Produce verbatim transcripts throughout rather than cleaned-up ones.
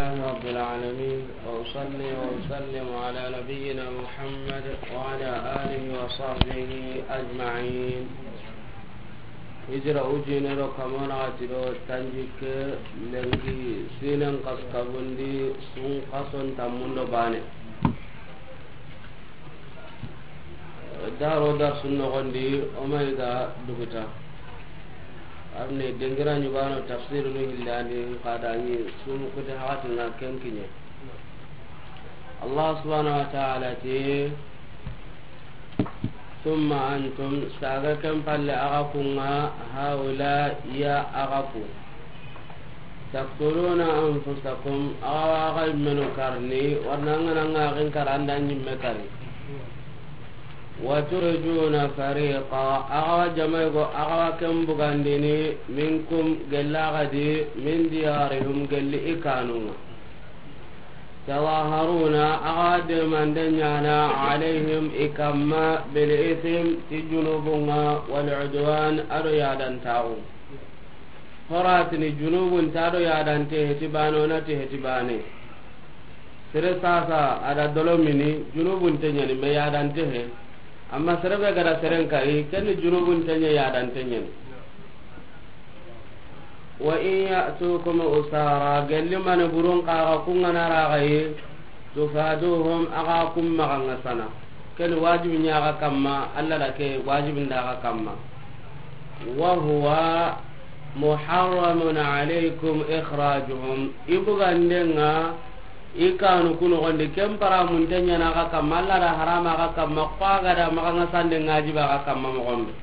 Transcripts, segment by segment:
رب العالمين، وأصلي وأسلم على نبينا محمد وعلى آله وصحبه أجمعين. Hijira ujine do kamona ati do tanjikke lenki sinen kaskabundi sun kason tammundo bane. Daro darsu nogondi, o ma yiga duguta. Arne dengira ɲugano tafsir nu hillandi, kadani sumu kuti hakatina kenkiɲe. Allah subhanahu wa ta'ala ti, ثم أنتم, saga ken palle aga kunga, هؤلاء, ya aga ku. تقتلون أنفسكم, awa aga immenu karni, warna ngana ngagin karanda nyimme kari. وتخرجون فريقا, awa jamai go, awa ken bugandini, منكم, gella gadi, من ديارهم, gelli ikanunga. تظاهرون, awa demande nyana, عليهم, ikamma, بالإثم, ti junubunga, والعدوان, ado yadantaxu. Horatini junubun ta do yadante heti bane, onati heti bane. Sere sasa ada dolo mini, junubun te ɲani, me yadante he. Amma sere be gada seren kari, kenni junubun te ɲa, yadante ɲani. وإن يأتوكم أسارى, gelli mane burun kaga kungana ragaye, تفادوهم, aga kum magangasana. Ken wajibi ɲaga kamma, Allah da ke wajibi ndaga kamma. وهو محرم عليكم إخراجهم, ibugandenga, ikanu kuno gondi, ken paramun te ɲana aga kamma, Allah da harama aga kamma, kwa gada magangasande ngajiba aga kamma mogombe.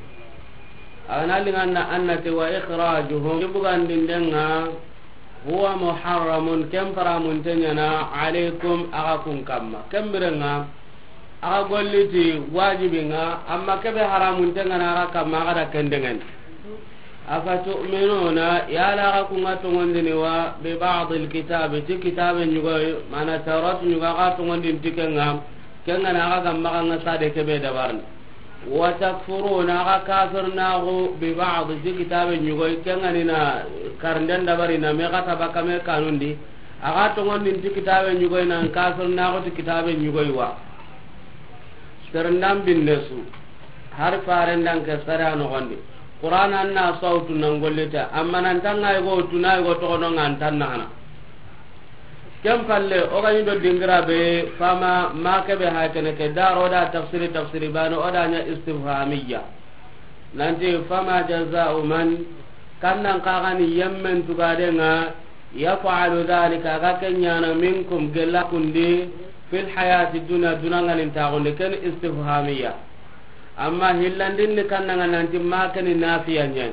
Agana linganna annate وإخراجهم, ibugandindenga, هو محرم, ken paramun te ɲana, عليكم, aga kun kamma. Ken birenga, aga golliti wajibinga, amma kebe haramun te ɲana aga kamma, aga da kendengani. أفتؤمنون, yala aga kunga tongondini wa, ببعض الكتاب, ti kitabe ɲugoy, mana Tawrat ɲuga aga tongondin ti kenga, kenga na aga gamma kanga sade kebe dabarni. وتكفرون, aga kafirnaxu, ببعض, ti kitabe ɲugoy, kenga ni na karnden dabarina, me gata baka me kanundi, aga tongondin ti kitabe ɲugoy, nan kafirnaxu ti kitabe ɲugoy wa. Serendam binne su, har farendan ke sara nogondi. Qur'an anna sautu nan gollita, amma nan tanga yugo tuna yugo togono ngan tan nahana. Ken palle, o gani do dingira be, fama, ma kebe ha kene ke, daro da tafsiri, tafsiri bano, o da ɲa istifhamiya. Nanti, فما جزاء من, kannan kagani yemmen tugadenga, يفعل ذلك, aga kenyana, منكم, gella kundi, في الحياة الدنيا, dunangalin tagundi, ken istifhamiya. Amma hillandin ni kannanga nanti ma keni nafiya ɲa.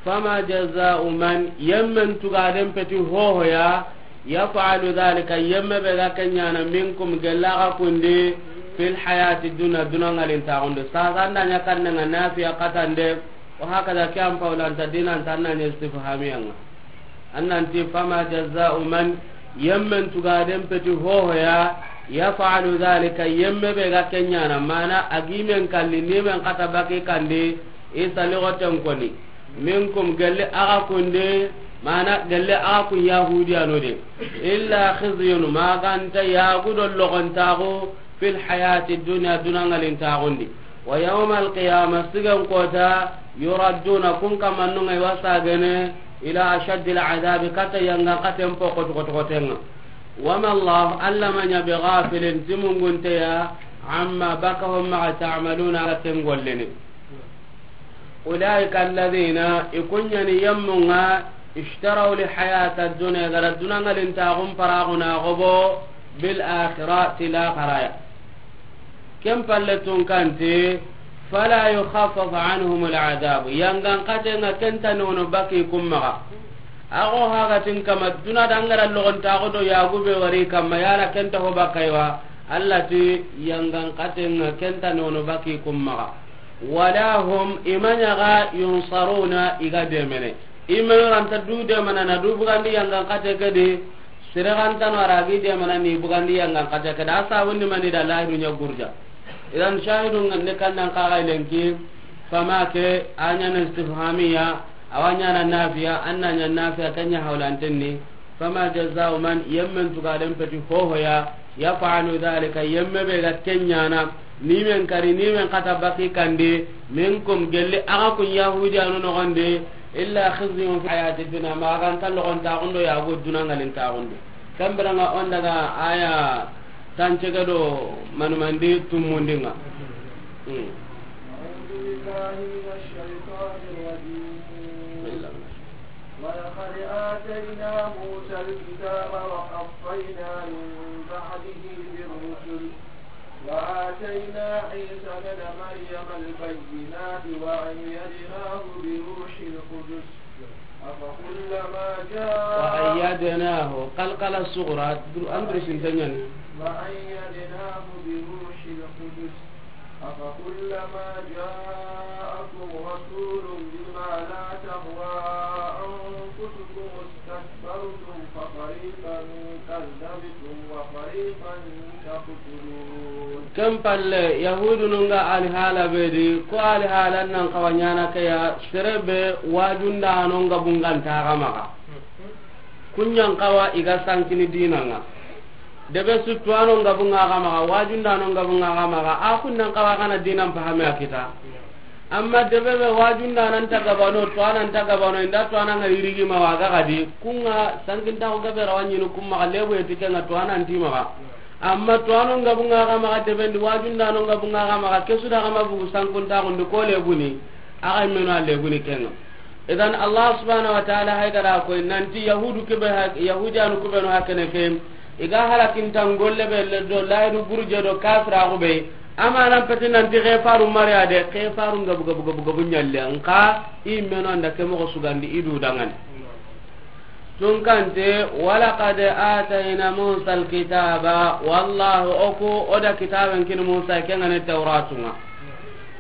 فما جزاء من, yemmen tugaden peti hohoya, يفعل ذلك, yemme be ga kenyana, منكم, gella ga kundi, في الحياة الدنيا, dunangalin tagundi. Sasa anda ɲa kannanga nafiya katande, wa hakada ke an paulanta dinanta anna ɲa istifhamiyanga. Annanti, فما جزاء من, yemmen tugaden peti hohoya, يفعل ذلك, yemme be ga kenyana, mana agimen kalli, nimen kata baki kandi, isa ligoten koni, منكم, gelli aga kunde, mana gelli aga kun Yahudiyano de, إلا خزي, maganta yagudo logontago, في الحياة الدنيا, dunangalin tagundi. ويوم القيامة, sigen kota, يردون, kun kamannunga iwa sagene, إلى أشد العذاب, kata yangan katen po kotokotokotenga. وما الله, Alla ma ɲa, بغافل, ti mungunteya, عما, baka ho maxa, تعملون, aga ken gollini. أولئك الذين, i kunyani yemmunga, اشتروا الحياة الدنيا, gara dunangalin tagun paraguna gobo, بالآخرة, ti laxaraya. Ken palle tun kanti, فلا يخفف عنهم العذاب, yangan katenga kenta nono baki kummaga. Ago hagatin kama duna dangara logontago do yagube wari kamma, yala kenta ho bakaiwa, Alla ti yangan katenga kenta nono baki kummaga. ولا هم, i ma ɲaga, ينصرون, i ga demene. I ma yoranta du demana na du bugandi yangan kate kedi, sere gantano aragi demana ni bugandi yangan kate kedi. A sabundi mani da lahidu ɲa gurja. Idan shahidu ngande kannan kaga lenki, فما ke, a ɲana istifhamiya, awa ɲana nafiya, anna ɲa nafiya, kenya hawlantenni. Fama jazau man, yemmen tugaden peti hohoya, yaf'alu dhalika, yemme be ga ken ɲana, ni men kari, ni men kata baki kandi, minkum, gelli axa kun Yahudiyanu noxondi, illa khizyun fi hayati dunya, ma ga nta loxon taxundo ya go duna ngalin taxundo. Kambiranga on daga aya tancege do manumandi tumundinga. Hmm. أعوذ بالله من الشيطان الرجيم. ولقد آتينا موسى الكتاب وقفينا من بعده بالرسل وآتينا عيسى ابن مريم البينات وأيدناه بروح القدس أفكلما جاء وأيدناه، قلقلة صغرى، در-، أندرس انتنين. وأيدناه بروح القدس أفكلما جاءكم رسول بما لا تهوى أنفسكم استكبرتم ففريقا كذبتم وفريقا تقتلون. Ken palle, Yahudunun ga alihala be di, ko alihala nan xawa ɲana ke ya, sere be wajundanon ga bunganta ga maxa. Kun ɲan xawa i ga sankini dinanga. Debe su tuwanon ga bunga ga maxa, wajundanon ga bunga ga maxa, a kun nan xawa ga na dinan fahame a kita. Amma debe be wajundanan ta gabano, tuwanan ta gabano, inda tuwanan ga yirigi ma wa ga gadi, kunga sankintaxu gabe rawa ɲini kun maxa, lebu eti kenga tuwanan ti maxa. Amma tuwanon ga bunga ga maxa, debe ndi wajundanon ga bunga ga maxa, kesu da ga ma bugu sankuntaxundi ko lebuni, axa meno a lebuni kenga. Idan Allah subhanahu wa ta'ala hay gada koy nanti Yahudu kebe ha-, Yahudiyanu kubenu hakene ke, i ga halakintan golle be le do layru burje do kafiraxu be, amanan peti nanti xefaru mariya de, xefaru gabu gabu gabu gabu ɲalle, nka i meno anda ke moxo sugandi i du dangani. Tunkante, walaqad atayna Musa alkitaba, wallahu oku oda kitaben kini Musa kengane Tawratunga.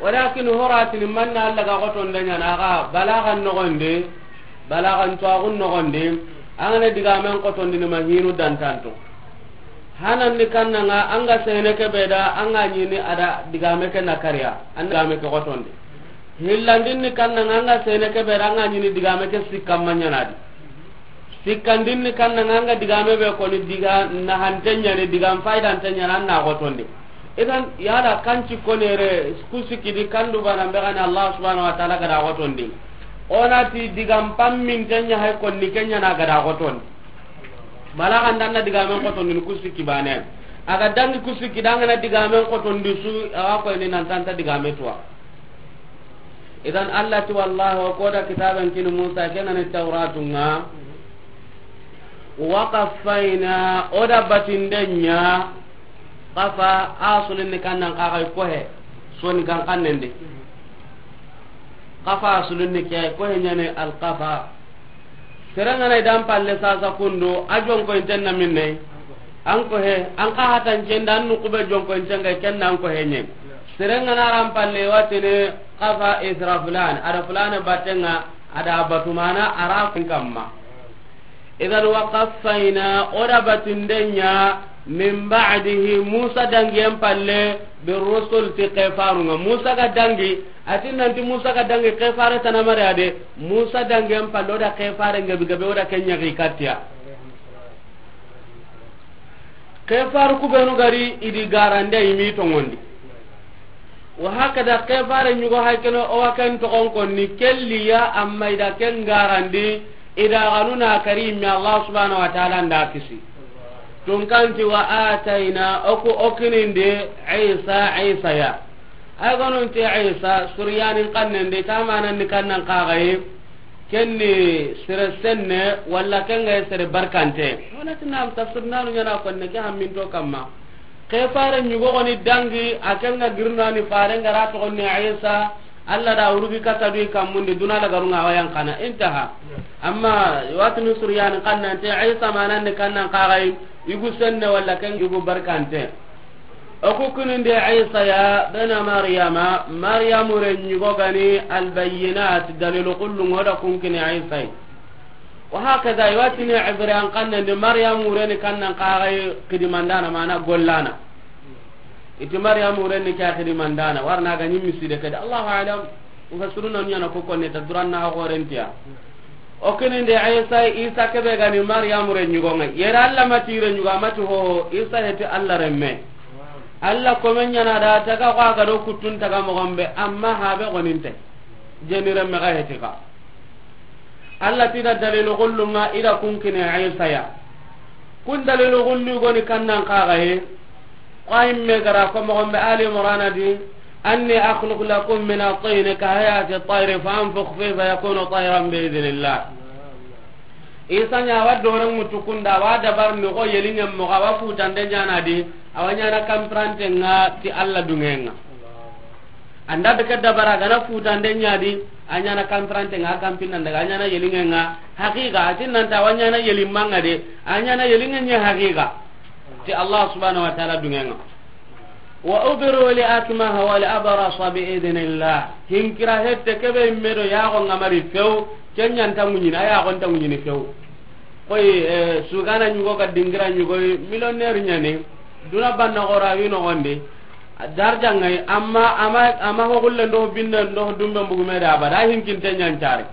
Walakin horatini manna Allah ga xotonde ɲana ga balagan nogonde, balagan tuwagun nogonde, angane digamen xotondini ma hinu dantanto. Hanandi kannanga anga sene kebe da anga ɲini ada digame ke na kariya, an digame ke xotonde. Hillandinni kannanga anga sene kebe da anga ɲini digame ke sikkamma ɲanadi. Sikkandinni kannanga anga digame be koni diga nahante ɲani, digan faydante ɲani, an na xotondi. Idan yala kanci konere ku sikkidi kandu bana be gani Allah subhanahu wa ta'ala gada xotondi. Onati digan pamminte ɲa hay konni ke ɲana gada xotondi. Balagan danna digamen xotondini ku sikki bane. Aga dangi ku sikki dangana digamen xotondi su, awa koyni nantanta digame tuwa. Idan Allah ti wallahu, o koda kitaben kini Musa, kenani Tawratunga. Wa qaffayna, oda batindenya, qafa asulin ni kannan kaga kohe, soni kan kannendi. Qafa asulin ni ke kohe nyane al qafa. Serengana idan palle sasa kundu, a jonko intenna minne. An ko he, an ka hatan cenda, an nukube jonko intenga kenna an ko he nyen. Serengana ran palle watene qafa ithra fulan, ada fulan batenga, ada batumana ara kun kamma. Idan wa qaffayna, oda batindenya, min ba'dihi, Musa dangiyen palle, bi rusul ti kefarunga. Musa ga dangi, atin nanti Musa ga dangi kefare tanamare ade, Musa dangiyen palle, oda kefare ngabi gabe, oda kenya gi katiya. Kefaru kubenu gari idi garande imi tongondi. Wa hakada kefare nyugo haykeno o wa ken togon konni kelliya amma ida ken garandi ida ganuna kari mi Allah subhanahu wa ta'ala nda kisi. Tunkanti wa atayna oku okinindi Isa, Isa ya. Ay gonunti Isa, Suryanin kannende, tamanan ni kannan kagaye, kenni sere senne, walla kenga sere barkante. Wala tinam tafsir nanu nyana konne ke hamminto kamma. Ke fare nyugo goni dangi, a kenga girnani fare ngara to gonni Isa, Allah da urugi kata dui kammundi duna la garunga wayan kana. Intaha. Amma watini Suryanin kannante, Isa manan ni kannan kagaye, igu senne walla ken igu barkante. Oku kuninde Isa ya bena Maryama, Maryamu ren yugo gani albayyinat, dalilu kullu ngoda kunkini Isa yi. Wa hakaza, iwatini Ibriyan kannandi Maryamu reni kannan kagai kidimandana, mana gollana. Iti Maryamu reni kya kidimandana, warna ga nyimmi side kadi. Allahu alam, mufassiruna nyana ko konne ta duranna ha gorentiya. O kinindi Isa, Isa kebe gani Maryamu re ɲugo ŋa. Yere Alla ma ti re ɲugo, a ma ti hoho, Isa heti Alla renme. Alla komen ɲana da taga ko a ga do kuttun taga moxon be, amma habe goninte. Jeni renme ga heti ka. Alla ti da dalilu gullun ŋa i da kun kini Isa ya. Kun dalilu gullu goni kannan kaga ye. Ko a yimme gara ko moxon be Ali Imran di, أني أخلق لكم من الطين كهيئة الطير فأنفخ فيه فيكون طيرا بإذن الله. Isa ɲa wa dore mutu kunda, wa dabar ni ko yelingen moxo, wa futande ɲana di, a wa ɲana kampirante ŋa ti Alla dungen ŋa. Anda be ke dabara gana futande ɲa di, a ɲana kampirante ŋa, a kampinanda ga, a ɲana yelingen ŋa, haqiqa, a ti nanta a wa ɲana yelimanga de, a ɲana yelingen ɲa haqiqa. Ti Allah subhanahu wa ta'ala dungen ŋa. وأبرئ الأكمه والأبرص بإذن الله. Hinkira hette kebe medo yago ŋa mari few, kenya nta ŋuɲini, a yago nta ŋuɲini few. Koy, eh, sugana ɲugo ga dingira ɲugo, millionnaire ɲani, duna banna gora wi nogondi, darja ŋa yi, amma, amma, amma ho gulle ndo binne ndo dumbe mbugume da abada, hinkinte ɲancari.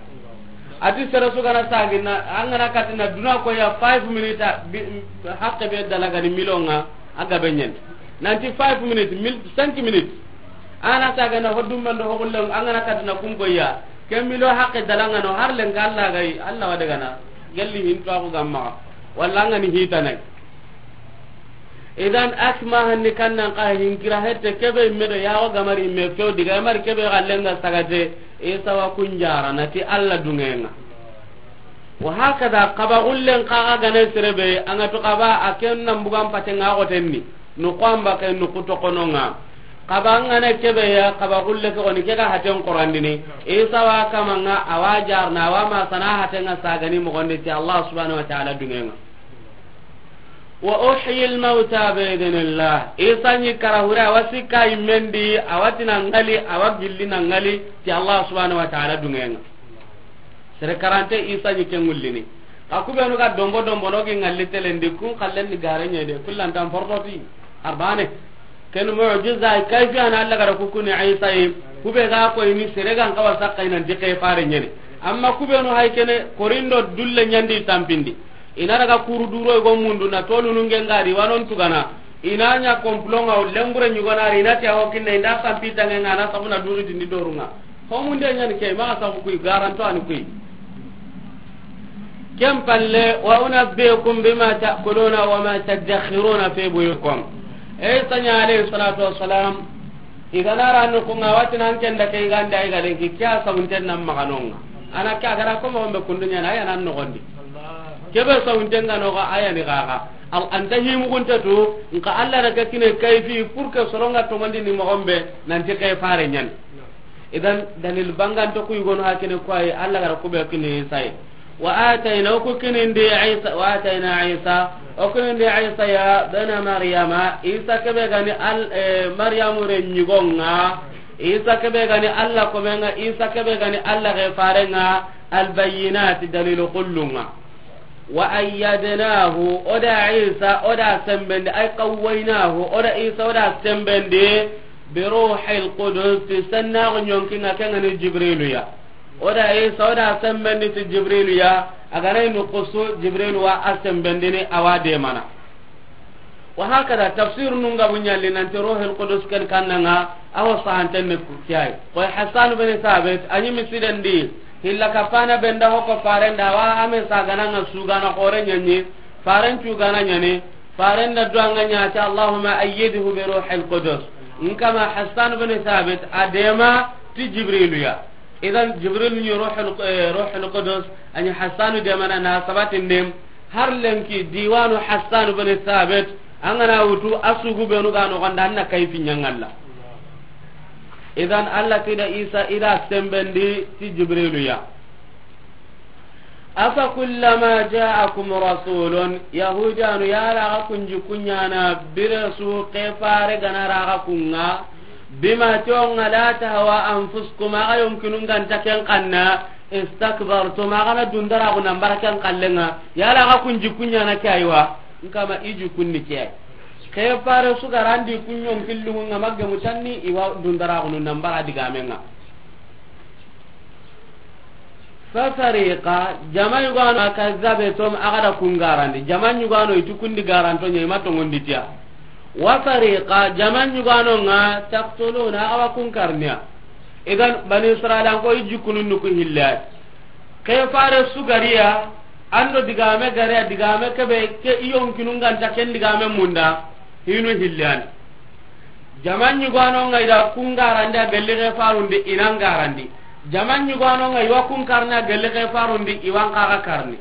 A ti sere sugana sagina, an gana katina duna ko ya five minutes, a, bi, hakke be dalagani million ŋa, a gabe ɲen. Nanti five minutes, mil-, cinq minutes. Ana sagana ho dumbe ndo ho gulle, an gana katina kun ko ya. Ke million hakke dalangano, har lenga Alla ga yi, Alla wa dagana. Gelli hinto a ko gamma. Walla an gani hitanai. Idan akmaha ni kannan ka hinkira hette kebe medo yago ga mari me few diga mari kebe ga lenga sagate, Isa wa kunjara na ti Alla dungen ŋa. Wa hakada kaba gullen kaga gane serebe, anga to kaba a ken nan bugan paten ŋa gotenni, no ko amba kay no kuto kono ŋa. Kaba ngana kebe ya, kaba gulle ke goni ke ga haten qorandini, Isa wa kama ŋa, a wa jarna, a wa ma sana haten ŋa sagani moxon di ti Allah subhanahu wa ta'ala dungen ŋa. وأحيي الموتى بإذن الله. Isa ɲi kara hure, a wa sikka yimmen di, a wa tina ŋali, a wa gilli na ŋali, ti Allah subhanahu wa ta'ala dungen ŋa. Sere karante Isa ɲi ke ŋullini. Ka kubenu ga dombo dombo no gi ŋalli telendi, kun kallen ni gare ɲe de, kullantan portoti, arbane. Ken mu'jiza, kayfi ana Alla gara kukuni Isa yi, kube ga koyni sere gan kawa sakka i nan ti ke fare ɲene. Amma kubenu hay kene, korindo dulle ɲandi tampindi. I na daga kuru duro i go mundu na tolu nunge ngari wanon tugana. I na ɲa complot ŋa o lembure ɲugana ri, i na ti a ho kinne, i nda sampi tange ŋa na sabuna duri tindi doru ŋa. Ho munde ɲani ke, ma sabu kuy garanto ani kuy. Ken palle, وأنبئكم بما تأكلون وما تدخرون في بيوتكم. Isa ɲa alayhi salatu wassalam, i gana ra no ko ŋa wati nan ken da ke i ganda i ga lenki kya sabunten nan maganonga. Ana kya gara ko mo be kundunya na ya nan no gondi. Kebe sabunten ga no ga aya ni gaga. Al anta himu gunta to, nka Allah na ka kine kayfi pour que soronga to mandi ni mo gombe, nan ti kay fare ɲan. Idan, dalil banganto ku yugono hakene ko ay Allah gara ku be kini Isa yi. Wa atayna, o ku kinindi Isa, wa atayna Isa, o kinindi Isa ya bana Maryama, Isa kebe gani al, eh, Maryamu re ɲigonga, Isa kebe gani Allah komenga, Isa kebe gani Allah ge farenga, al bayyinat, dalilu kullunga. Wa ayyadnahu, o da Isa, o da sembendi, ay qawwaynahu, o da Isa, o da sembendi, bi ruhil qudus, ti sennaxu ɲonkinga, kengani Jibrilu ya. O da Isa, o da sembendi ti Jibrilu ya, a ga na i nukusu, Jibrilu wa a sembendini, a wa demana. Wa hakada, tafsir nun ga buɲalli nanti Ruhul Qudus ken kannanga, a ho sahanten ni ku-, kiyai. Koy Hassan bin Thabit, a ɲi misidendi, hilla kapana benda hoko farenda, wa ame sagananga sugana xore ɲaɲi, faren cugana ɲani, farenda duanga ɲa ti, Allahumma ayyidhu bi Ruhil Qudus. Nkama Hassan bin Thabit, a dema ti Jibrilu ya. Idan Jibril ni Ruhul, eh, Ruhul Qudus, a ɲi Hassanu demana na sabatin dem, Har lenki diwanu Hassan bin Thabit, an ga na wutu a sugu benu ga noxon da, an na kayfi ɲangalla. Idan Allah ti da Isa i da sembendi ti Jibrilu ya. Afa kullama ja'akum rasulun, Yahudanu ya ra ga kunji kuɲana bire su ke fare ga na ra ga kunga, bima tonga la tahwa anfusukum, a ga yonkinun ga nta ken kanna, istakbartum, a ga na dundaraxu nan bara ken kallenga, yala a ga kun jikku ɲana ke aywa, nkama i jikkunni ke ay. Ke fare su ga ra ndi kun ɲonkillungu nga magemu tanni, i wa dundaraxunu nan bara digamenga. Fa fariqa, jama yugano, kazzabetum, a ga da kun garandi. Jama yugano i ti kun di garanto ɲa, i ma tongondi ti a. Wa fariqa, jama yugano ŋa, taqtuluna, a ga wa kun karni ya. Idan, Bani Israila, an ko i jikkunu ni ku hille ya. Ke fare su gari ya, an do digame gari ya, digame kebe, ke i yonkinu ŋa nta ken digame munda, hinu hille ya ni. Jama yugano ŋa i da kun garandi a gelli ke farundi, i na n garandi. Jama yugano ŋa i wa kun karni a gelli ke farundi, i wa n xa ga karni.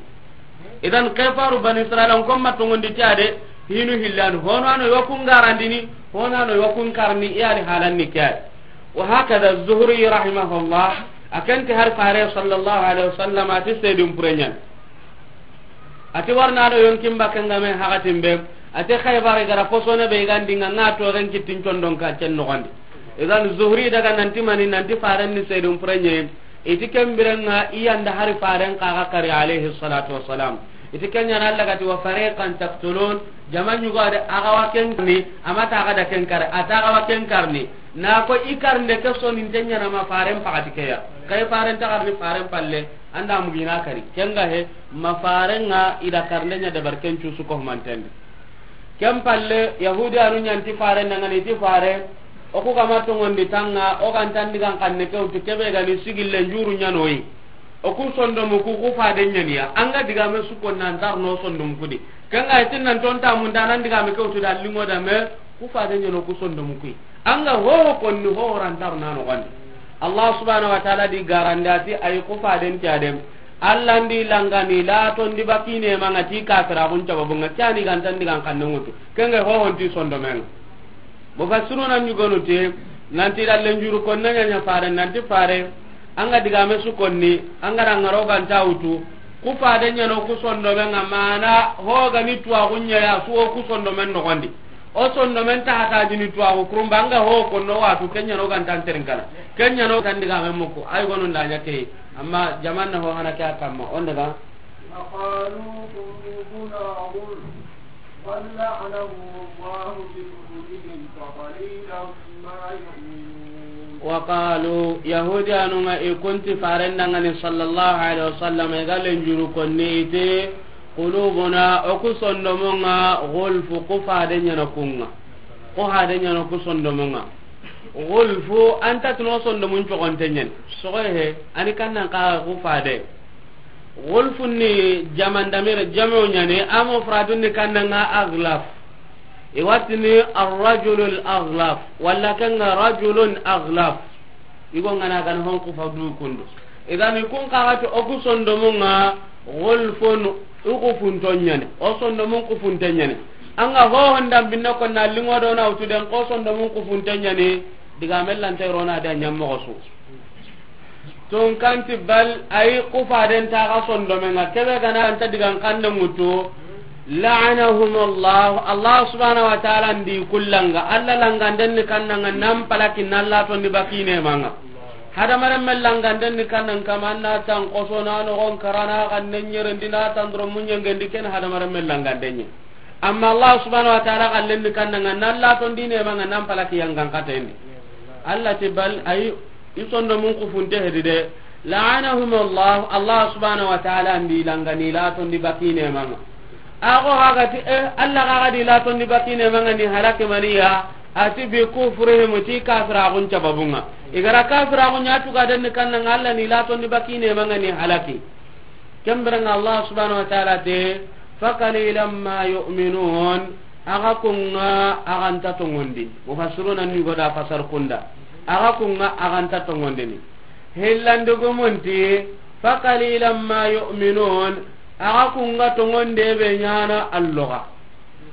Idan ke faru Bani Israila, n ko ma tongondi ti a de, hinu hille ya ni. Hono a no i wa kun garandini, hono a no i wa kun karni, i ya ni halan ni ke ya. Wa hakada Zuhri rahimahullah, a ken ti hari fare sallallahu alaihi wasallam, a ti sedun pure ɲa ni. A ti warna do yonkin bakke ŋa me hakatin be, a ti Khaybar i ga ra posone be i ga ndi ŋa, ŋa to ren kittin condon ka cen noxondi. Idan Zuhri daga nanti mani, nanti faren ni sedun pure ɲa yi. I ti ken bire ŋa i ya nda hari faren xa ga kari alayhi salatu wassalam. I ti ken ɲa na Allah ga ti wa fariqan taqtulun, jama yugo de a ga wa ken karni, a ma ta ga da ken kari, a ta ga wa ken karni. Na ko i karnde ke soninte ɲa na ma faren pakati ke ya. Kay faren ta karni faren palle, an da mugina kari. Ken ga he, ma faren ŋa i da karnde ɲa dabar ken cusu ko mantendi. Ken palle, Yahudiyanu ɲa nti faren da ŋa ni ti fare, o ku ga ma tongondi ta ŋa, o ga nta n digan kanne ke wutu kebe ga ni sigille njuru ɲa no yi. O ku sondomu ku, ku faden ɲa ni ya. An ga digame su ko nan tar no sondomu ku di. Ken ga i ti nan ton ta munda nan digame ke wutu da lingo da me, ku faden ɲa no ku sondomu ku yi. An ga hoho konni hoho rantaru na noxondi. Allah subhanahu wa ta'ala di garandi a ti ay ku faden ti adem. Allah ndi langani la tondi bakine ma ŋa ti kafira kun sababu ŋa kani ga nta n digan kanne wutu. Ken ga hoho nti sondomen ŋa. Mufassiruna ɲugonu ti, nanti da lenjuru konne ɲa ɲa fare, nanti fare, an ga digame su konni, an ga ra ŋaro ga nta wutu, ku faden ɲa no ku sondomen ŋa, mana ho ga ni tuwa kun ɲa ya su o ku sondomen noxondi. O sondomen ta hata jini tuwa ku kurumba, an ga ho konno watu, ken ɲa no ga nta n terin kana. Ken ɲa no tan digame muku, ay gonu nda ɲa ke, amma jaman na ho hana ke a kamma, on daga. وقالوا قلوبنا غلف بل لعنهم الله بكفرهم فقليلا ما يؤمنون. وقالوا, Yahudiyanu ŋa i ku nti faren da ŋa ni sallallahu alaihi wasallam, i ga lenjuru konni i ti, qulubuna, o ku sondomun ŋa, gulfu, ku faden ɲa na ku ŋa. Ku faden ɲa na ku sondomun ŋa. Gulfu, an ta tuno sondomun cogonte ɲa ni. Sogo he, a ni kannan ka ku fade. Gulfun ni jaman damir, jamo ɲa ni, a mufradun ni kannan ŋa aglaf. I wa ti ni arrajulul aglaf, walla ken ŋa rajulun aglaf. I go ŋa na ga na hon ku fa du kundu. Idan i kun xa ga ti o ku sondomun ŋa gulfun, o ku funton ɲa ni. O sondomun ku funten ɲa ni. An ga ho hondan binne ko na lingo do na wutu den ko sondomun ku funten ɲa ni. Digame lanta i ro na da ɲa moxo su. Tun kanti bal, ay ku faden ta ga sondomen ŋa, kebe ga na nta digan kanne wutu, la'anahumullah, Allah subhanahu wa ta'ala ndi kullanga, Allah langanden ni kannan ŋa nan palaki nan la tondi bakine ma ŋa. Hadamaren me langanden ni kannan kama na tan koso na no gon karana kan ne ɲerendi na tan dro munyengendi ken hadamaren me langanden ni. Amma Allah subhanahu wa ta'ala kallen ni kannan ŋa nan la tondi ne ma ŋa nan palaki yangan katendi. Allah ti bal ay I sondomun kufunte hedi de. La'anahum Allah, Allah subhanahu wa ta'ala ndi langani la tondi bakine ma ŋa. Ago haga ti, eh, Allah ga di la tondi bakine ma ŋa ni halaki maniya, ati bi kufrihim ti kafiragun sababu ŋa. I ga ra kafiragun ɲa tu ga den kannan ŋa Allah ni la tondi bakine ma ŋa ni halaki. Ken biren ŋa Allah subhanahu wa ta'ala te, fa qalilan ma yu'minun, a ga kun ŋa a ga nta tongondi. Mufassiruna ni go da fasar kunda. A ga kun ŋa a ga nta tongondini. Hillandugumun ti, fa qalilan ma yu'minun, a ga kun ŋa tongonde be ɲa na alloga.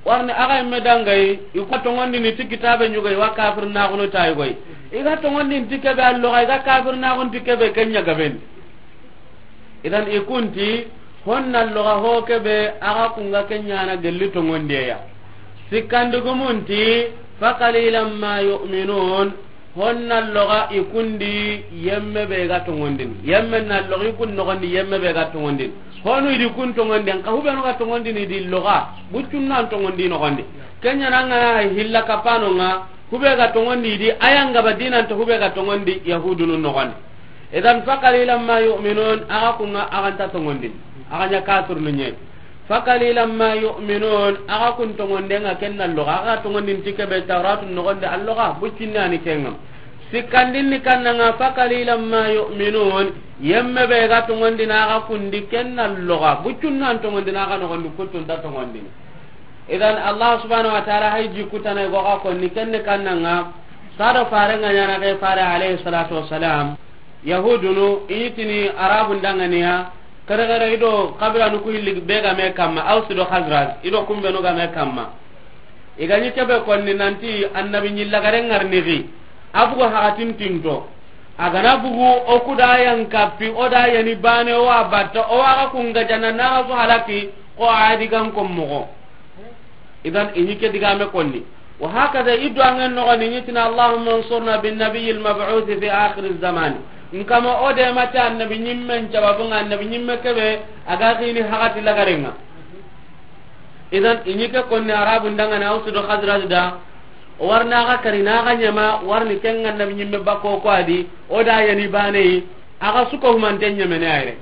Warni a ga yimme dangayi, i ku tongondini ti kitabe ɲugay wa kafir na gunu tayi goy. I ga tongondini ti kebe alloga, i ga kafir na gun ti kebe ken ɲa gaben. Idan i kun ti, honna loga ho kebe, a ga kun ŋa ken ɲa na gelli tongondiye ya. Sikkandugumun ti, fa qalilan ma yu'minun, honna loga i kun di yemme be ga tongondini. Yemme na loga i kun nogondi yemme be ga tongondini. Honu i di kun tongondini, ka hubenu ga tongondini di loga, buccun nan tongondi nogondi. Ken ɲa na ŋa hilla kapano ŋa, hube ga tongondi di, ayanga ba dinanta hube ga tongondi Yahudunu nogondi. Idan, fa qalilan ma yu'minun, axa kunga axa nta tongondin, axa ɲa kafirnu ɲe. Fa qalilan ma yu'minun, axa kun tongonden ŋa ken na loxa, axa tongondin ti kebe Tawratu noxonde a loxa, buccinne ani kenga. Sikkandin ni kannanga, fa qalilan ma yu'minun, yemme be ga tongondina axa kundi ken na loxa, buccunna an tongondina axa noxondi, kuttun ta tongondini. Idan, Allah subhanahu wa ta'ala hay jikutana go ga konni kenne kannanga, sado farenga ɲana ke fare alayhi salatu wassalam. Yahudunu i ɲi tini Arabun danganiya, kare kare i do kabilanu ku hilli be ga me kamma, Aus do Khazraj, i do kumbenu ga me kamma. I ga ɲi kebe konni nanti annabi ɲi lagare ŋarni xi, a bugu haxatin tinto. A ga na bugu, o ku da yan kappi, o da yani bane, o wa batta, o wa ga kunga jana na ga su halaki, ko a di gan kon moxo. Idan, i ɲi ke digame konni. Wa hakaza, i duwangen noxoni, i ɲi tina, Allahumma ansurna bin nabiyil mab'uth fi akhir zaman. Nkama o de mata annabi ɲimmen cababunga, annabi ɲimme kebe, a ga xini haxati lagarenga. Idan, i ɲi ke konni Arabun dangana Aus do Khazraj da, o warna ga kari na ga ɲama, warni kenga annabi ɲimme bako ko a di, o da yani bane yi, a ga suko humanten ɲamene ayre.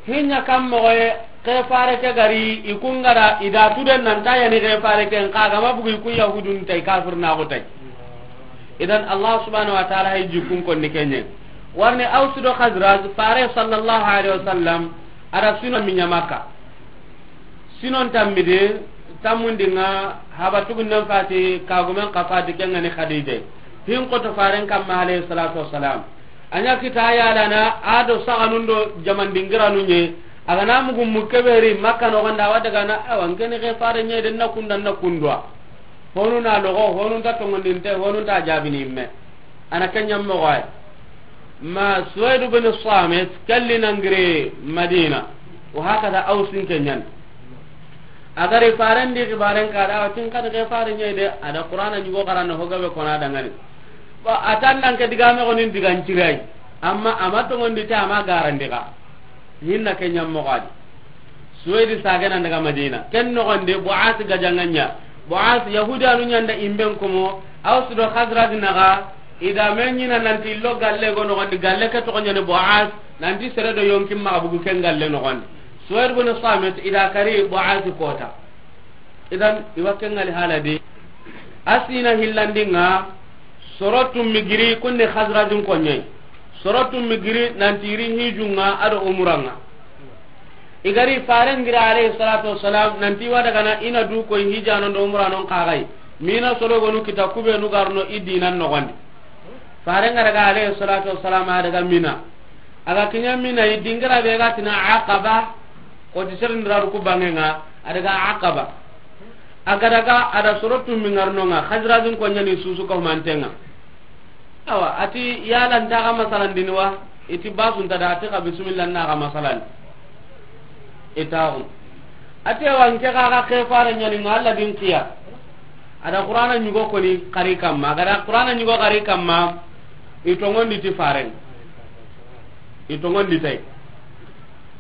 Hinya kam moxoye, ke fare ke gari, i kungara, i da tuden nan ta yani ke fare ke, nka gama bugu i ku Yahudun tay, kafir na go tay. Idan, Allah subhanahu wa ta'ala hay jikun konni kenye. Warni Aus do Khazraj, fare sallallahu alaihi wasallam, ara sino minya Makka. Sinon tammidi, tammundinga, haba tugunnen fati, kagumen ka fati, kengani Khadija. Hin koto faren kamma alayhi salatu wassalam. A ɲa kita yalana, a do saganun do jaman dingiranu ɲe, a ga na mugu mu keberi Makka noxonda, wa daga na, awa, nkeni ke fare ɲe den na kunda na kundwa. Honu na logo, honu ta tongondinte, honu ta jabini imme. A na kenya moxoye. Ma Suwaid bin Samit, kalli nangire Madina. Wa hakaza Ausin kenyan. A gari faren di xibaren ka da, tin kan ke fare ɲe de, a da Qur'ana ɲugo xarana ho gabe kona dangani. Ba, a tan nan ke digame gonin digan cirai. Amma, ama tongondi ta, ama garandi ga. Hinna ke ɲammo gadi. Suwedi sagena daga Madina. Ken nogondi, Bu'as gajanganya. Bu'as, Yahudanu ɲanda imben komo, Aus do Khazraj naga, i da me ɲina nanti illo galle go nogondi, galle ke togo ɲani Bu'as, nanti sere do yonkin maxa bugu ken galle nogondi. Suwaid bin Samit, i da kari Bu'as kota. Idan, i wa ken ŋali hala di. A sina hillandinga, soro tummi giri kunni Khazrajun konyai. Soro tummi giri nanti iri hijunga ado umuranga. I gari faren gira alayhi salatu wassalam, nanti wa daga na ina du koy hijanon do umuranon kagai. Mina soro gonu kita kubenu garno i dinan nogondi. Faren ga daga alayhi salatu wassalam a daga Mina. A ga kiɲa Mina, i dingira be ga tina Aqaba, koti serindiraru ku bangenga, a daga Aqaba. A ga daga, a da soro tummi ngarnonga, Khazrajun konyani susu ka humantenga. Awa, ati yala nta ga masalan dini wa, iti basu nta da, ati ka bismillah na ga masalan. Itaxu. Ati awa, nke ga ga ke fare ɲani nga Allah din kiya. A da Qur'ana ɲugo koni kari kamma, a ga da Qur'ana ɲugo kari kamma, i tongondi ti faren. I tongondi tay.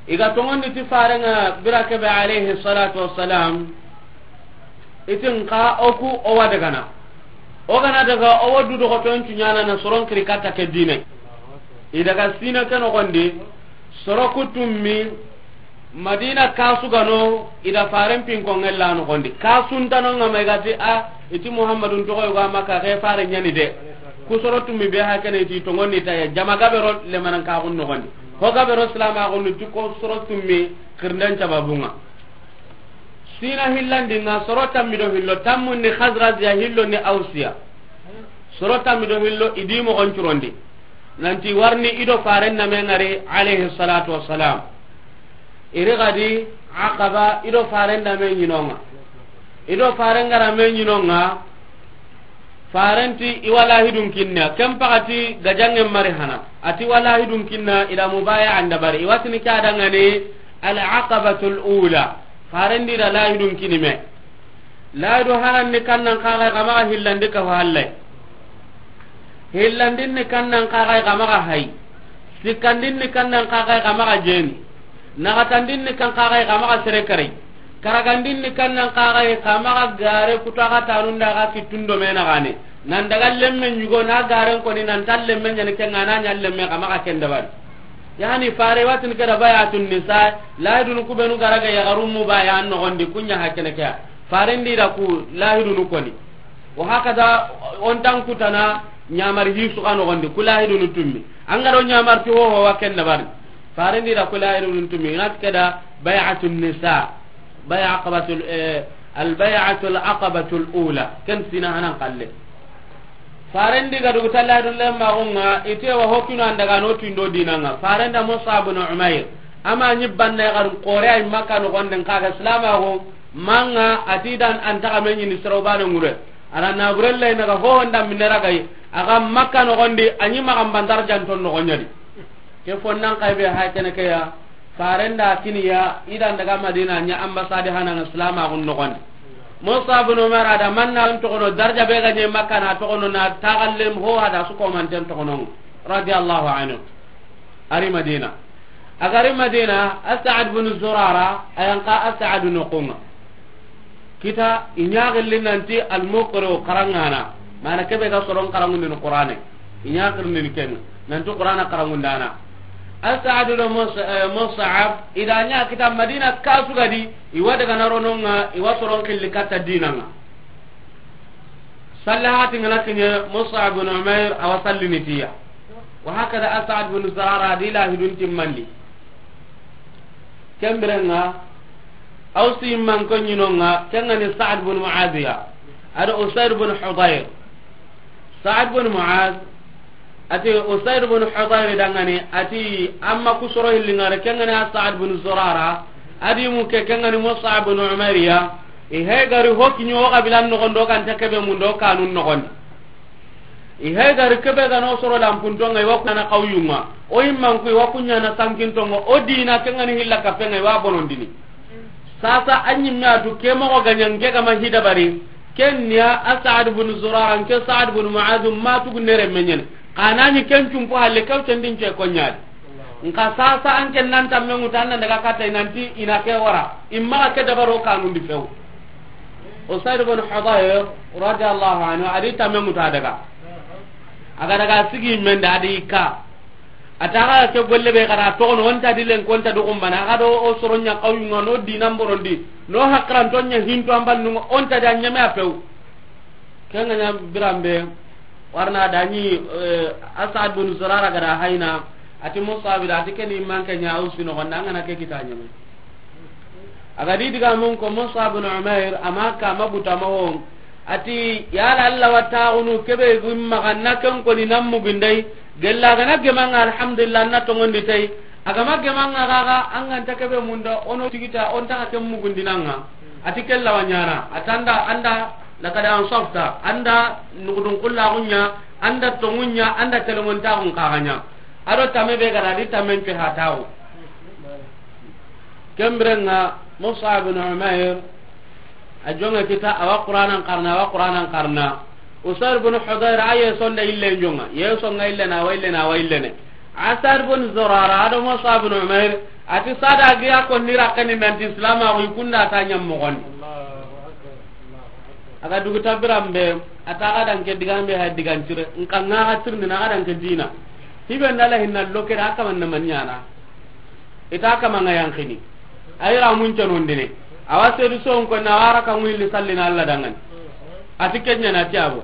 I ga tongondi ti farenga bira kebe alayhi salatu wassalam. Itin ka oku owa dagana. O gana daga owa du dogo ton tunyana na soron kiri kata ke dine. I daga sina ke nogondi, soro kutummi, Madina kasu gano, i da faren pinko ngella nogondi. Kasun tano nga mai gati a, iti Muhammadun togo yogo a Makka, ke fare ɲani de. Ku soro tummi be hakene iti tongondi ta ya, jama gabero lemanan kaxun nogondi. Ho gabero silama xunnu ti ko soro tummi xirnden cababunga. Sina hillandinga soro tammi do hillo, tammundi Khazrajiya hillo ni Ausiya. Soro tammi do hillo i di mogon curondi. Nanti warni i do faren name ngari alayhi salatu wassalam. Iri gadi Aqaba i do faren name ɲinonga. I do faren ngara me ɲinonga. Farenti i wa lahidun kinna. Ken pakati gajangen mari hana. Ati wa lahidun kinna i da mubaya an dabari. I watini ke adangani al aqabatul ula. Farendi da lahidun kinime. Lahidu hanan ni kannan kaga kamaga hillandi ka halle. Hillandin ni kannan kaga kamaga hay. Sikkandin ni kannan kaga kamaga jeni. Nagatandin ni kan kaga kamaga sere kare. Karagandin ni kannan kaga kamaga gare kutaga tanunda ga kitundo mena gane. Nan daga lemme ɲugo na garen koni nan ta lemme ɲani ke ŋa na ɲa lemme xa maxa ken dabari. Yani fare watin ke da bay'atun nisa, lahidunu ku benu ga ra ga yaxarun mu baya an noxon di, ku ɲa hakene ke ya. Faren di da ku lahidunu koni. Wa hakada, o nta n kutana ɲamari hi su xa noxon di, ku lahidunu tummi. An ga ro ɲamari ti hoho wa ken dabari. Faren di da ku lahidunu tummi. Ina ti ke da bay'atun nisa. Bay'a aqabatul, eh, al bay'atul aqabatul ula. Ken sina hanan kalle. Faren di ga dugu talla dun lemma gonga, ite wa hokino an daga no tindo dinanga. Faren da Mus'ab bin Umair. Ama ni banna ya garu kore ay Makka noxon di n ka ga Islam a go, manga ati dan an ta ga me ɲini sero bana ŋure. Ara na burella ina ga ho honda minera gai, a ga Makka noxon di, a ɲi maxa n ban darjan ton noxon ɲa di. Ke fonnan kay be hay kene ke ya, faren da kiniya, i dan daga Madina ɲa ambassade hanan Islam a gun noxon di. Mus'ab bin Umair a da manna n toxono darja be ga ɲe Makka na toxono na taxallem ho hada su ko manten toxono. Radiyallahu anhu. Ari Madina. A ga ri Madina, As'ad bin Zurara, a yan xa As'ad noxon ŋa. Kita, i ɲa gilli nanti al-muqri xarangana. Mana ke be ga soron xarangundini Qur'ane. I ɲa girindini ken nanti Qur'ana xarangundana. As'ad do Mus-, eh, Mus'ab, i da ɲa kita Madina kasu ga di, i wa daga na ro no ŋa, i wa soron xilli katta dinanga. Sallahati ngana kiɲe Mus'ab bin Umair a wa sallini tiya. Wa hakada As'ad bin Zurara di lahidun timmandi. Ken birenga, Ausi man ko ɲinonga, ken ga ni Sa'ad bin Mu'adh ya. Ado Usaid bin Hudayr. Sa'ad bin Mu'adh, ati Usaid bin Hudayr dangani, ati amma kusoro hillingare, ken ga ni Sa'ad bin Zurara, adi mu ke, ken ga ni Mus'ab bin Umair ya. I hay gari hoki ɲo ga bilan noxon do kan ta kebe mun do kanun noxon. I hay gari kebe ga no soro lampuntonga, i wa kuɲana xawyunga, o yimmanku i wa kuɲana sankintonga, o dina ken ga ni hilla kapenga, i wa bonondini. Sasa a ɲimme a tu ke moxo ga ɲa n ke ga ma hidabari, ken niya a Sa'ad bin Zurara, n ke Sa'ad bin Mu'adh ma tugu nere meɲene. Xa na ɲi ken cumpo halle, kew tendin ce ko ɲadi. Nka sasa an ken nan tamme ŋuta, an nan daga katta i nanti i na ke wara. I maxa ke dabaro kanundi few. Usaid bin Hudayr radiyallahu anhu, a di tamme ŋuta daga. A ga daga sigi mende a di ka. A ta ga ke golle be ga ra toxono, o nta di len ko, o nta do xumbana, a ga do o soro ɲa xawyunga, no dinan borondi, no hakranto ɲa hinto an bannunga, o nta di a ɲeme a few. Ken ga ɲa biranbe, warna da ɲi, eh, As'ad bin Zurara ga da hayna, ati Mus'ab da, ati ken i manke ɲa Ausi noxon di, an ga na ke kita ɲeme. A ga di diga mun ko Mus'ab bin Umair, ama ka ma buta ma wo. Ati, yala Allah wa taxunu kebe gumma ga na ken koni nan mugindai, gella ga na gemanga alhamdulillah na tongondi tai. A ga ma gemanga gaga, an ga nta kebe munda, o no tigita, o nta xa ken mugundinanga. Ati kella wa ɲana, a tanda, anda, laqad ansafta, anda nugudun kullaxu ɲa, anda tongu ɲa, anda telemontaxun kaxa ɲa. A do tame be ga da di tamen pe hataxu. Ken birenga Mus'ab bin Umair, a jonge kita, a wa Qur'anan xarana, a wa Qur'anan xarana. Usaid bin Hudayr a ye sonda ille jonga, ye songa ille na wa ille na wa ille ne. As'ad bin Zurara, a do Mus'ab bin Umair, ati sada giya ko ni rakani nanti Islam a wi kunda ta ɲam moxon di. A ga dugu tabirambe, a ta ga dan ke digambe ha digan cire, nka nga ga tirni na ga dan ke dina. Hibe ndala hinna lokere a kaman na manɲana. Ita kama nga yankini. Ay ra mun canondine. Awa sedu son ko na wara ka ngulli sallina Allah dangan. Ati kenya na tiabo.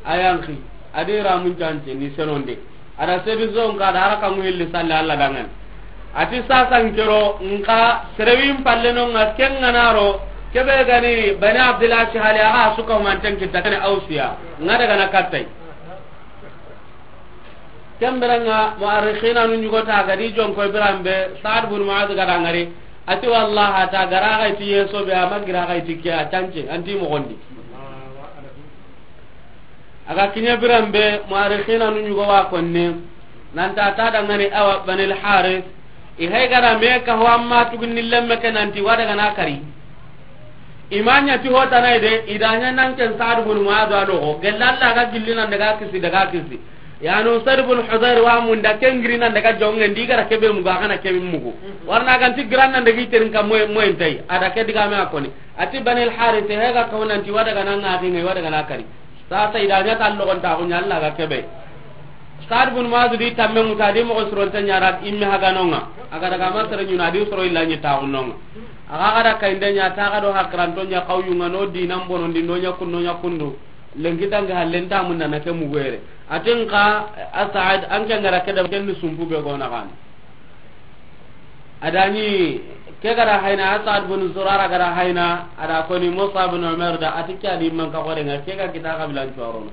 Ayanki. Adi ra mun cance ni senonde. Ada sedu son ka da ara ka ngulli salli Allah dangan. Ati sasan kero nka serewin palle no nga kenga naro. Kebe gani Bani Abdullah Shihali aga suka manten kita kane Ausiya. Nga daga na kattai. Ken birenga mu'arrikhina nu ɲugo ta ga di jonko biranbe Sa'ad bin Mu'adh ga da ngari. Ati wallahi ta gara ga ti yeso be ama gira ga ti ke a cance anti moxon di. A ga kiɲe biranbe mu'arrikhina nu ɲugo wa konne. Nanta ta da ngani awa Banil Harith. I hay gara me ka ho amma tugunni lemme ke nanti wa daga na kari. I ma ɲa ti hotana de, i da ɲa nan ken Sa'ad bin Mu'adh a loxo. Gella Allah ga gilli nan daga kisi, daga kisi. Yani Usaid bin Hudayr wa mun da ken giri nan daga jongen di gara kebe mugu, a kana kebe mugu. Warna ganti giran nan daga iterin ka moy, moy ntai. A da ke diga me a koni. Ati Banil Harith, he ga kawo nanti wa daga na ngaki ngai, wa daga na kari. Sasa i da ɲa ta logon ta ko ɲa Allah ga kebe. Saad bun Muaz di tamme ŋuta di moxo suronte ɲara imme haganonga. A ga daga ma sere ɲuna di soro illa ɲi ta gunonga. A ga ga da kayinde ɲa ta ga do hakiranto ɲa kawyunga no dinan bonondi no ɲa kun no ɲa kundu. Lenki dangi hallen ta mun na ke mugere. Atin ka Asad an ke ngara ke da ken sumpu be gona kan. Adani ke gara hayna, Asad bin Zurara gara hayna, ada koni Musa bin Umar da, ati ke adi man ka gore nga ke ga kita kabilan corono.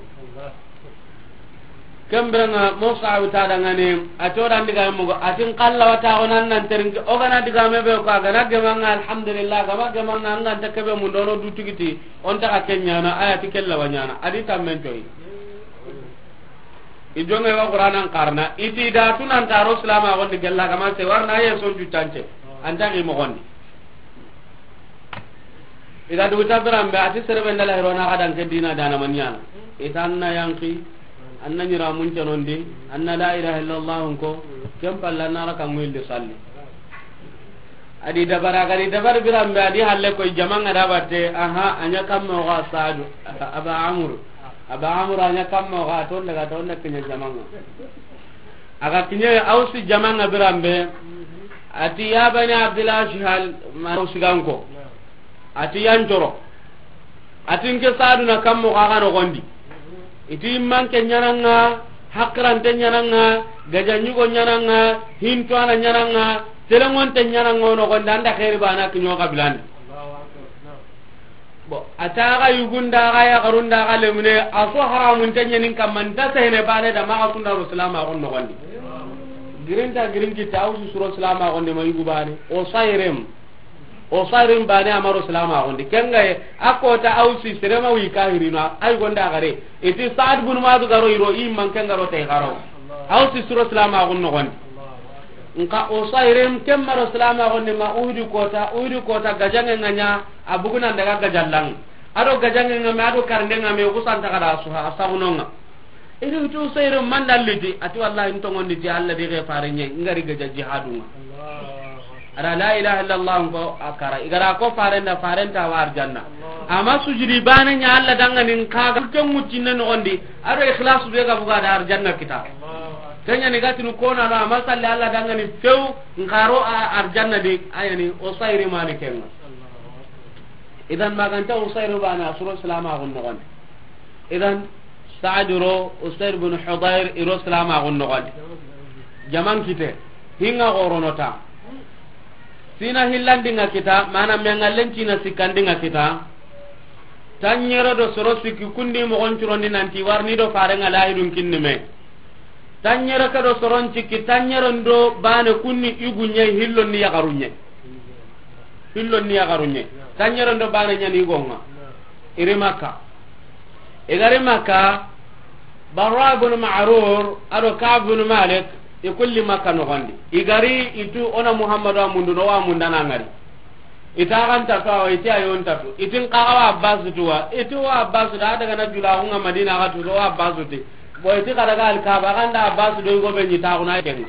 Kembere nga Musa uta da ngane, a codan diga mo, atin kalla wata onan nan terinke, o gana diga me be ko gana gemanga, alhamdulillah, gama gemanga, an ga nta kebe mun dono du tigiti, on ta ka kenyana, aya ti kella wanyana, adi tammen toyi. I jonge wa Qur'anan karna, iti da tunan taro silama gondi gella kama se warna ye son jutance. Anta ki mo gondi. I ga dugu tabiran be, ati serebe ndala hirona ga dan ke dina dana manyana. Ita anna yanki, anna nyira mun canondi, anna la ilaha illallah ko, ken palla nara kan wilde salli. Adi dabara, gadi dabar biran be, adi halle koy jamanga da batte, aha, anya kammo ga Sadu, Aba Amru. Aba Amru anya kammo ga, ton daga ton da kinya jamanga. Aga kinya Ausi jamanga biran be, ati ya bani Abdul Ashhal, ma Ausi ganko. Ati yan coro. Atin ke Sadu na kammo ga ga no gondi. Iti manke nyananga, hakrante nyananga, gaja nyugo nyananga, hinto ana nyananga, telengonte nyananga no gondi anda khairi bana kinyo kabilani. Bo, ata ga yugunda ga ya garunda ga lemune, aso haramun tanyanin kamanta sehene bane da maga sunda ro salama gon no gondi. Girinta girinki ta Ausi suro salama gondi ma yugu bane. O sairem. O sarin bane amaro salama gondi. Kenga ye, a kota Ausi serema wi kahirina, ay gonda gare. Iti Saad bin Muaz garo iro, i man kenga ro tay garo. Ausi suro salama gon no gondi. Nka o sarin kemmaro salama gondi ma Uhudi kota, Uhudi kota gajange nganya, abuguna daga gajallang. Ado gajange ngame, ado karnde ngame, kusanta kada suha, asagunonga. Iri wutu seyre manda liti, ati wallahi ntongondi ti Allah di ge fare nye, ngari gaja jihadunga. Ara la ilaha illallah ko akara, igara ko farenda, farenta wa arjanna. Ama sujudi bane nya Allah dangani nka ke mutine no ondi, aro ikhlas be ga buga da arjanna kita. Kenya ni gatinu kona no, ama salli Allah dangani few, nkaro a arjanna de, ayani o sayri malikenga. Idan maganta o sayri bana suro salama gon no. Idan, Saad ro Usaid bin Hudayr iro salama gon no gondi. Jaman kite, hinga gorono ta. Sina hillandinga kita, mana mengallen cina sikkandinga kita. Tanyere do soro sikki kundi mogon curondi nanti warni do farenga lahidun kinni me. Tanyere ke do soron cikki, tanyere ndo bane kunni igunye hillonni yagarunye. Hillonni yagarunye. Tanyere ndo bane nyani igonga. Iri Makka. Igari Makka, Barra bin Ma'rur, ado Ka'b bin Malik, ikulli Makka no gondi. Igari itu ona Muhammadu amundu no wa mundana ngari. Ita kan tatu awa, iti ayon tatu. Itin kaga wa Abbas tuwa. Iti wa Abbas da daga na jula hunga Madina ga tu wa Abbas ti. Bo iti kada ga al Kaaba ganda Abbas do go be ni ta kuna ken.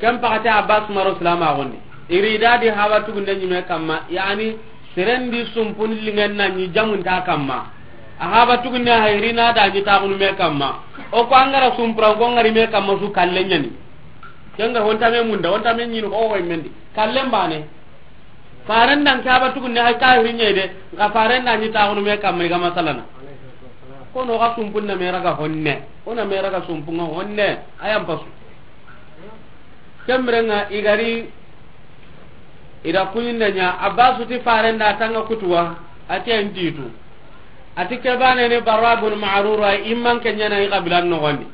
Ken pakati Abbas maro salama gondi. Iri dadi haba tugunde nyime kamma, yani serendi sumpun lingen na ni jamun ta kamma. A haba tugunde hayrina da ni ta kunu me kamma. O ko angara sumpura ko ngari me kamma su kallen nyani. Kenga honta me munda, honta me nyinu ko hoy mendi. Kallen bane. Faren dan kaba tugunne hay kahiri nyede, nga faren dan ni taxunu me kamma ga masalana. Kono ga sumpunna me raga honne. Ona me raga sumpunga honne. Ayam pasu. Kemrenga igari ida kunyinda nya Abbasu ti faren da tanga kutuwa. Ati antitu. Ati ke bane ni Barra bin Ma'rur, ay imman ke nyana i qabilan no gondi.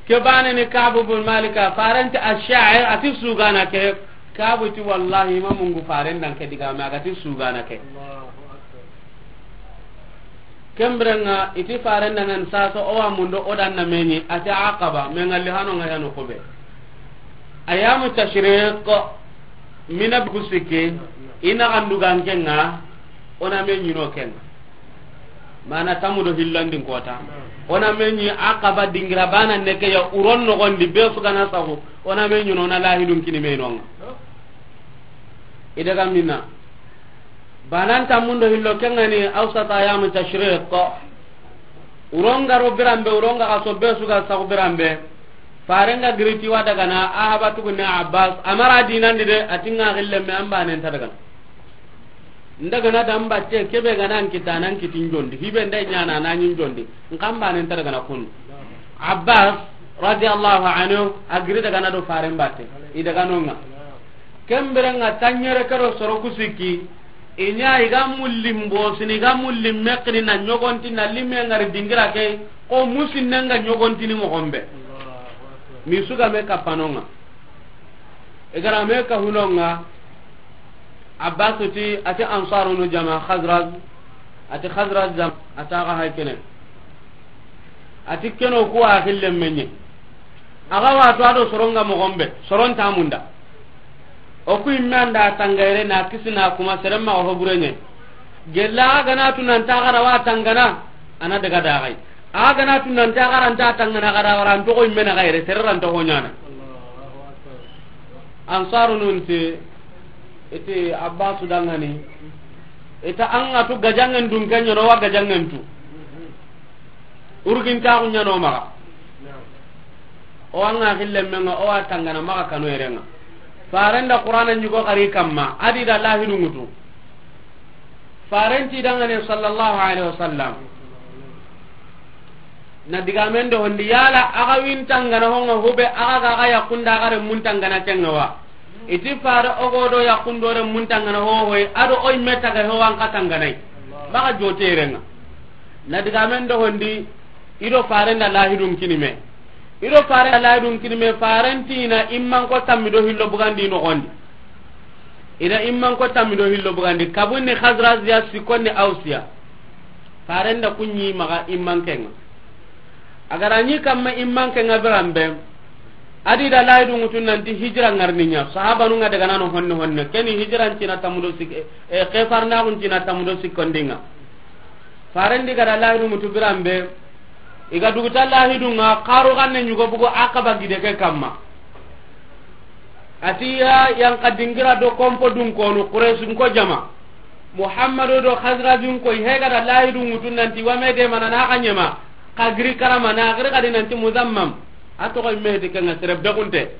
Ke bane ni Ka'b bin Malik, farenti ash-sha'ir, ati sugana ke. Ka'b ti wallahi ma mungu faren dan ke diga ma ga ti sugana ke. Kemrenga iti faren dan sasa o wa mundo o dan na meni ati Aqaba, me ngalli hano nga yano kobe. Ayamu tashriq mina busike ina andugan kenga ona me nyino kenga. Mana tamu do hillandin kota. Ona me nyi Aqaba dingira bana neke ya uron no gondi be su gana sago. Ona me nyino na lahidun kini me nonga. Idaga mina. Banan tammundo hillo kengani awsata ayami tashriq. Uronga ro biranbe, uronga ka sobbe suga sagu biranbe. Farenga giriti wa dagana, a habatugu ne Abbas, amara dinandi de, atinga xillemme an banen ta dagana. Ndagana da mbatte, kebe gana nkita nan kitin jondi, hibe nda nyana na nyin jondi, nkan banen ta dagana kun. Abbas radiyallahu anhu, a giri dagana do faren batte, i daganonga. Kemberenga tanyere kero soro kusiki, inya iga mullim bosini, iga mullim mekri na nyogonti na limme ngari dingira ke, ko musinnenga nyogontini mogombe. Mi suga me kapanonga. Igara me ka hunonga, Abbas ti, ati Ansarunu jama Khazraj, ati Khazraj jam, ata ga hay kene. Ati keno ku a xillen menye. Aga wato ado soronga mogombe, soron tamunda. O ku imme anda tangayre na kisina kuma seremma o hoburenye. Gella aga na tunanta gara wa tangana, ana daga dagai. Aga na tunanta gara nta tangana gara wara nto ko imme na gaire, sereran to honyana. Ansarunun ti, iti Abbasu dangani, ita anga tu gajangen dun kenya no wa gajangen tu. Urgin ta kunya no maga. O anga xille menga, o wa tangana maga kanu erenga. Farenda Qur'ana nyugo kari kamma, adi da lahidu ngutu. Farenti dangane sallallahu alaihi wasallam. Na digamen do hondi yala aga win tangana honga hube aga ga aga yakunda aga re mun tangana kenga wa. Iti fare ogo do yakundo re mun tangana ho hoy ado oy meta ga ho an ka tanganai. Baga joterenga. Na digamen do hondi ido farenda lahidun kinime. Ido farenda lahidun kinime, farenti na imman ko tammi do hillo bugandi no gondi. Ina imman ko tammi do hillo bugandi. Kabunni Khazraziya, sikonni Ausiya. Farenda kunyi maga imman kenga. Agara nyi kamma imman kenga birambe. Adi da layidu ngutun nanti hijira ngarninya. Sahabanu nga daga nano honne honne. Keni hijira ntina tamudo sik-, e, e, kefarna kun ntina tamudo sikondinga. Farendi gara layidu ngutu birambe. Iga duguta lahidunga, karu ganne nyugo bugu Aqaba gide ke kamma. Ati ya yanka dingira do kompo dun konu Quraysh ko jama. Muhammadu do Khazrajun ko hega da lahidu ngutun nanti wa me de mana na kanyema. Kagri karama na gri kadi nanti Muzammam. Ato ko me de kenga sere begunte.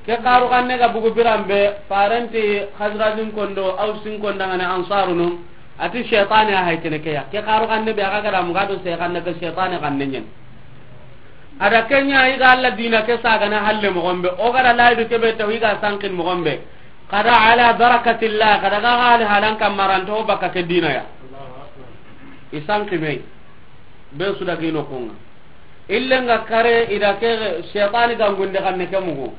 Ke karu ganne ga bugu birambe, farenti Khazrajun kondo, Ausin kondangane Ansarunu. Ati shaytani a hay kene ke ya. Ke karu ganne be aga gara muga do se ganne ke shaytani ganne nyen. Ada kenya iga Allah dina ke sagana halle mogombe. O gara laidu ke be taw iga sankin mogombe. Kada ala barakatillah, kada ga hali halan kamaranto baka ke dina ya. Isanki me. Be suda gino kunga. Illenga kare ida ke shaytani gangunde kanne ke mugu.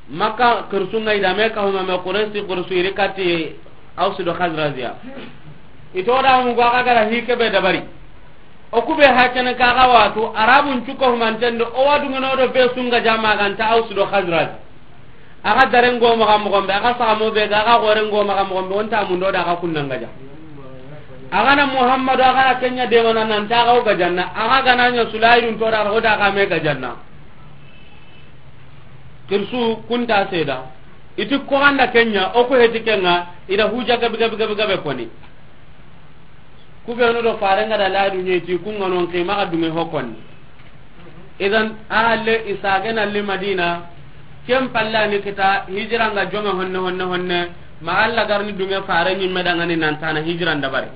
Makka kursunga ida me ka huma me Quraysi kursu iri kati Ausu do Khazraziya. Ito da mugu aga gara hike be dabari. O kube hakene kaga watu, Arabun cuko humantendo, o wadu ngano do be sunga jama ganta Ausu do Khazraj. Aga darengo maga mogombe, aga sagamo be ga, aga gorengo maga mogombe, onta mundo da aga kunnanga ja. Aga na Muhammadu, aga na kenya de mana nan ta aga o gajanna, aga gana nya Sulaydun to da o da aga me gajanna. Kirsu kunta seda. Iti ko anda kenya, o ko heti kenga, ida huja gabi gabi gabi gabi koni. Kubenu do farenga da ladu nyeti kunga non ke maga dunge hokon. Idan ahalle isage na li Madina, kem palla ni kita hijira nga jonga honne honne honne, ma Allah garni dunge fare ni medangani nan tana hijira ndabari.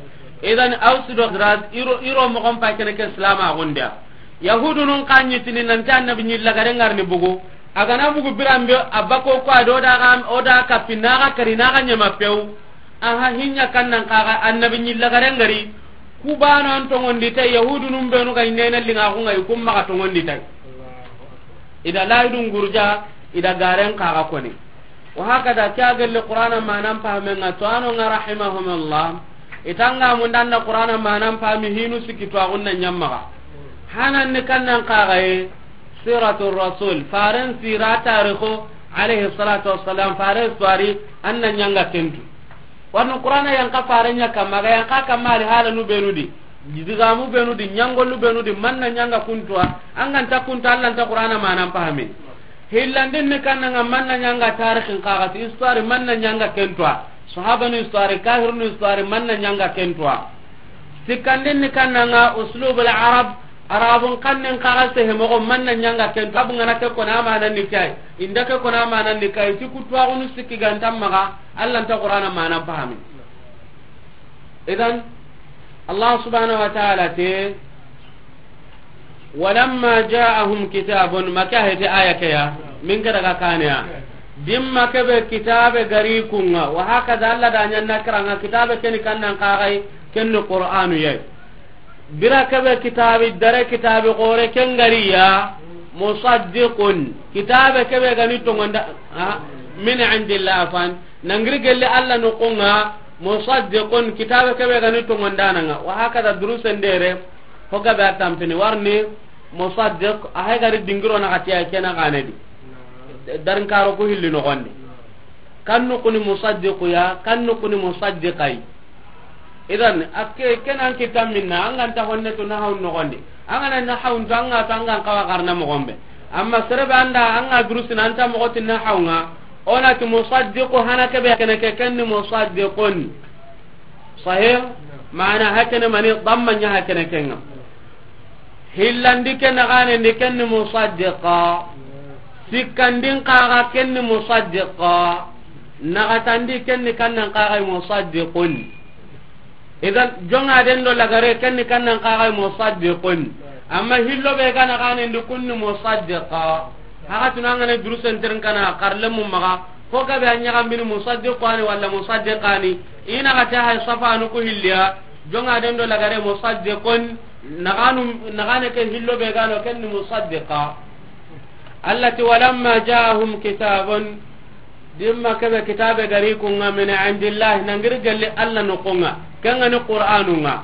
Idan Aus do Khazraj iro, iro mo kon pa kene ke Islam a gonda. Yahudu nun kanyi tini nan ta annabi nyilla gare ngarni bugu. Agana bugu birambe abako ko ado da ga o da kapina ga karina ga nyama pew. Aha, hinya kannan kaga annabi nyilla garen gari. Kubano an tongondi tay, yahudu num benu ga inena linga ko ngai kum maga tongondi tay. Ida laidun gurja, ida garen kaga koni. Wa hakada kya gelle Qur'ana manan pahamenga to ano nga rahimahumullah. Itanga mundanna Qur'ana manan pahami hinu siki to agunna nyammaga. Hanan ni kannan kaga e siratul rasul, faren sira tarikhu alayhi salatu wassalam, faren suwari anna nyanga tentu. Wani Qur'ana yanka farenya kamma, ga yanka kamma ali hala nu benu di. Digamu benu di, nyangolu benu di, manna nyanga kuntuwa, anganta kuntu Allah nta Qur'ana manan pahami. Hillandin ni kannanga manna nyanga tarikhin kagati, histoire manna nyanga kentuwa. Sahabanu histoire, kahirunu histoire, manna ɲanga kentuwa. Sikkandin ni kannanga uslubul arab, arabun kannen kaga sehe mogo manna ɲanga kentuwa. Abu ngana ke kona manan ni kai, inda ke kona manan ni kai, ti kutuwa gunu sikki gantan maga, Allah nta Qur'ana manan fahami. Idan, Allah subhanahu wa ta'ala te, walamma ja'ahum kitabun, maka hete aya ke ya, min ke daga kane ya. Dimma ke be kitabe gari kunga, wa hakaza Allah da ɲanna kiranga kitabe keni kannan kagai, kenni Qur'anu yai. Bira ke be kitabe dare kitabe gore ken gari ya, musaddiqun, kitabe ke be gani tongonda, ha, min indillah afan, nangiri gelle Allah no konga, musaddiqun, kitabe ke be gani tongondananga, wa hakaza durusen dere, hoga be a tampini warni, musaddiq, a hay gari dingiro na katiya kena gane di. Darin karo ku hilli no gonde. Kan nukuni musaddiqu ya, kan nukuni musaddiqai. Idan, akke kenan kita minna, an ganta honne to na hawn no gonde. An gana na hawn to, an ga to, an gan kawa garna mo gombe. Amma serebe anda, an ga durusina anta mo gotin na hawnga. Ona ti musaddiqu hana ke be kene ke kenni musaddiqun. Sahih? Maana hakene mani damma nya hakene kenga. Hillandi ke nagane ndi kenni musaddiqa. Sikkandin kaga kenni musaddiqa. Nagatandi kenni kannan kaga musaddiqun. Idan jonga den do lagare kenni kannan kaga musaddiqun. Amma hillo be ga nagane ndi kunni musaddiqa. Haga tunangane durusen tirin kana karlemu maga. Ko gabe a ɲagambini musaddiqani walla musaddiqani. Ina ga ta hay safanu ku hilliya. Jonga den do lagare musaddiqun. Naganu, nagane ke hillo be gano kenni musaddiqa. Allah ti, "Walamma ja'ahum kitabun," dimma kebe kitabe gari kunga, "min indillahi," nangiri gelli Allah no konga, kenga ni Qur'anunga.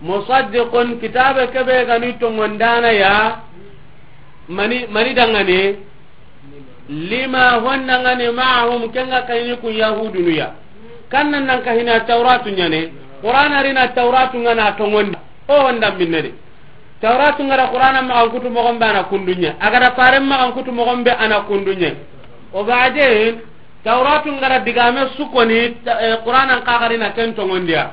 "Musaddiqun," kitabe kebe gani tongondana ya, mani, mani dangane, "lima," hondangane, "ma'ahum," kenga kayini kun Yahudunu ya. Kannan nan kahina Tauratu nyane, Qur'ana rina Tauratu ngana tongonda. O honda minne de. Tauratu ngara Qur'ana magan kutu mogon be ana kundunye. Agara faren magan kutu mogon be ana kundunye. O baden, Tauratu ngara digame sukoni, ta-, eh, Qur'ana kagarina ken tongondiya.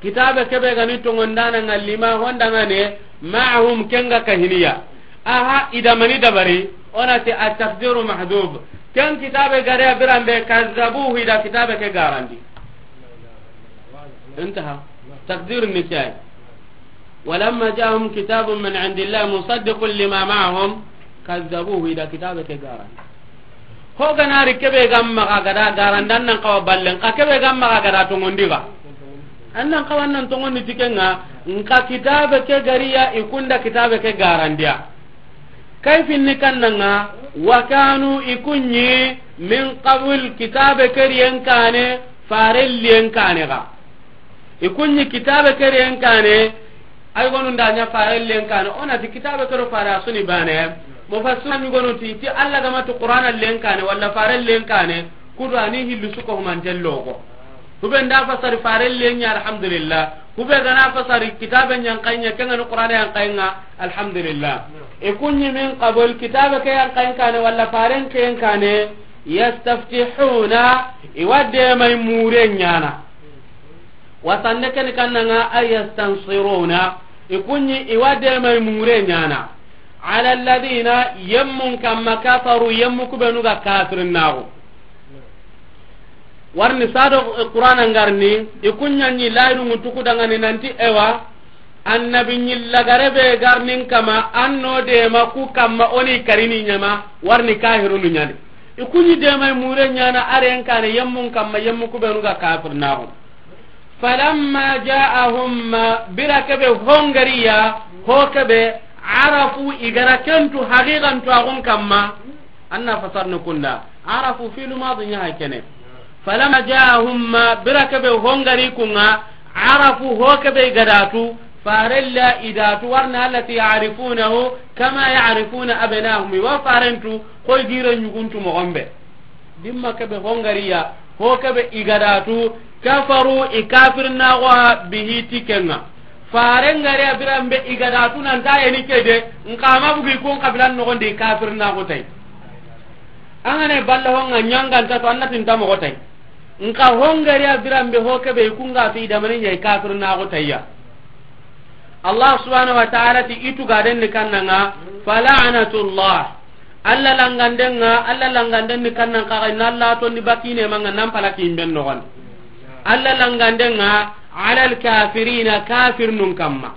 Kitabe kebe gani tongondana nga lima hondangane, ma'ahum kenga kahiniya. Aha, idamani dabari, ona ti at-taqdiru mahdhuf. Ken kitabe gare abirambe kazzabuhu ida kitabe ke garandi. Intaha. Taqdir ni kiyai. "Walamma ja'ahum kitabun min indillahi musaddiqun lima ma'ahum, kazzabuhu," ida kitabe ke garan. Ho ganari kebe gamma ga gada garan dan nan kawa ballen, ka kebe gamma ga gada tongondi ga. Annan kawan nan tongondi tikenga, nka kitabe ke gariya ikunda kitabe ke garandiya. Kayfinni kannanga, wa kanu ikunyi min qabl kitabe keriyen kane, farelliyen kane ga. Ikunyi kitabe keriyen kane, ay gonu nda nya farelliyen kane, onati kitabe kero fare asuni bane. Mufassirun gonu ti, ti Allah gama ti Qur'ana len kane, walla farelliyen kane, kudu ani hillu suko humanten logo. Kube nda fasari farelliyen nya, alhamdulillah. Kube gana fasari kitabe nyan kanya, kenga ni Qur'ana yan kanya, alhamdulillah. E kunyi min qabl kitabe ke yan kanya kane, walla faren ke yan kane, yastaftihuna, iwadde mai mure nyana. Wasande ken kannanga ay yastansiruna, ikunyi iwadde mai mure nyana. Ala alladhina, yemmun kamma kafaru, yemmu kubenu ga kafirin nago. Warni sado, eh, Qur'ana ngarni, ikunyanyi layrungu tuku dangani nanti ewa, annabi nyilla garebe garnin kama, anno de ma ku kamma oni karini nyama, warni kahirunu nyani. Ikunyi de mai mure nyana aren kane yemmun kamma yemmu kubenu ga kafir nago. Falamma ja'ahum ma, bira kebe hongariya, ho kebe, arafu igara kentu haqiqan tu agun kamma, anna fasarnu kunda. Arafu fi'lu madi nya hakene. Falamma ja'ahum ma, bira kebe hongari kunga, arafu ho kebe igadatu, farella idatu, warna allati ya'rifunahu kama ya'rifuna abna'ahum. Wa farentu, koy gire nyuguntu mogombe. Dimma kebe hongariya, ho kebe igadatu, kafaru i kafir nago bihi tikenga. Faren gare abiran be igadatu nan ta yeni kede, nka ma bugi kun kabilan no gondi kafir nago tay. Angane balla honga nyanga nta to annatin ta mo tay. Nka hongariya biranbe ho kebe i kunga fi damani ɲa i kafir na go tayya. Allah subhanahu wa ta'ala ti i tuga den ni kannanga, fala'natullah. Allah langandenga, Allah langanden ni kannan kaga na Allah to ni bakine manga nan pala kimben no gon. Allah langandenga alal kafirina, kafir nun kamma.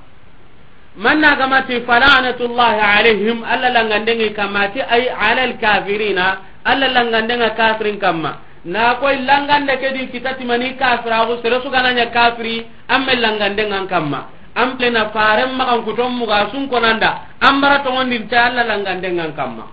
Manna gamati fala'natullahi alaihim, Allah langandengi kamati ay alal kafirina, Allah langandenga kafirin kamma. Na koy langande ke di kitati mani kafiraxu, sere su gananya kafiri, amme langandengan kamma. Ample na faren magan kuton muga sun konanda, ambara tongondin ta Allah langandengan kamma.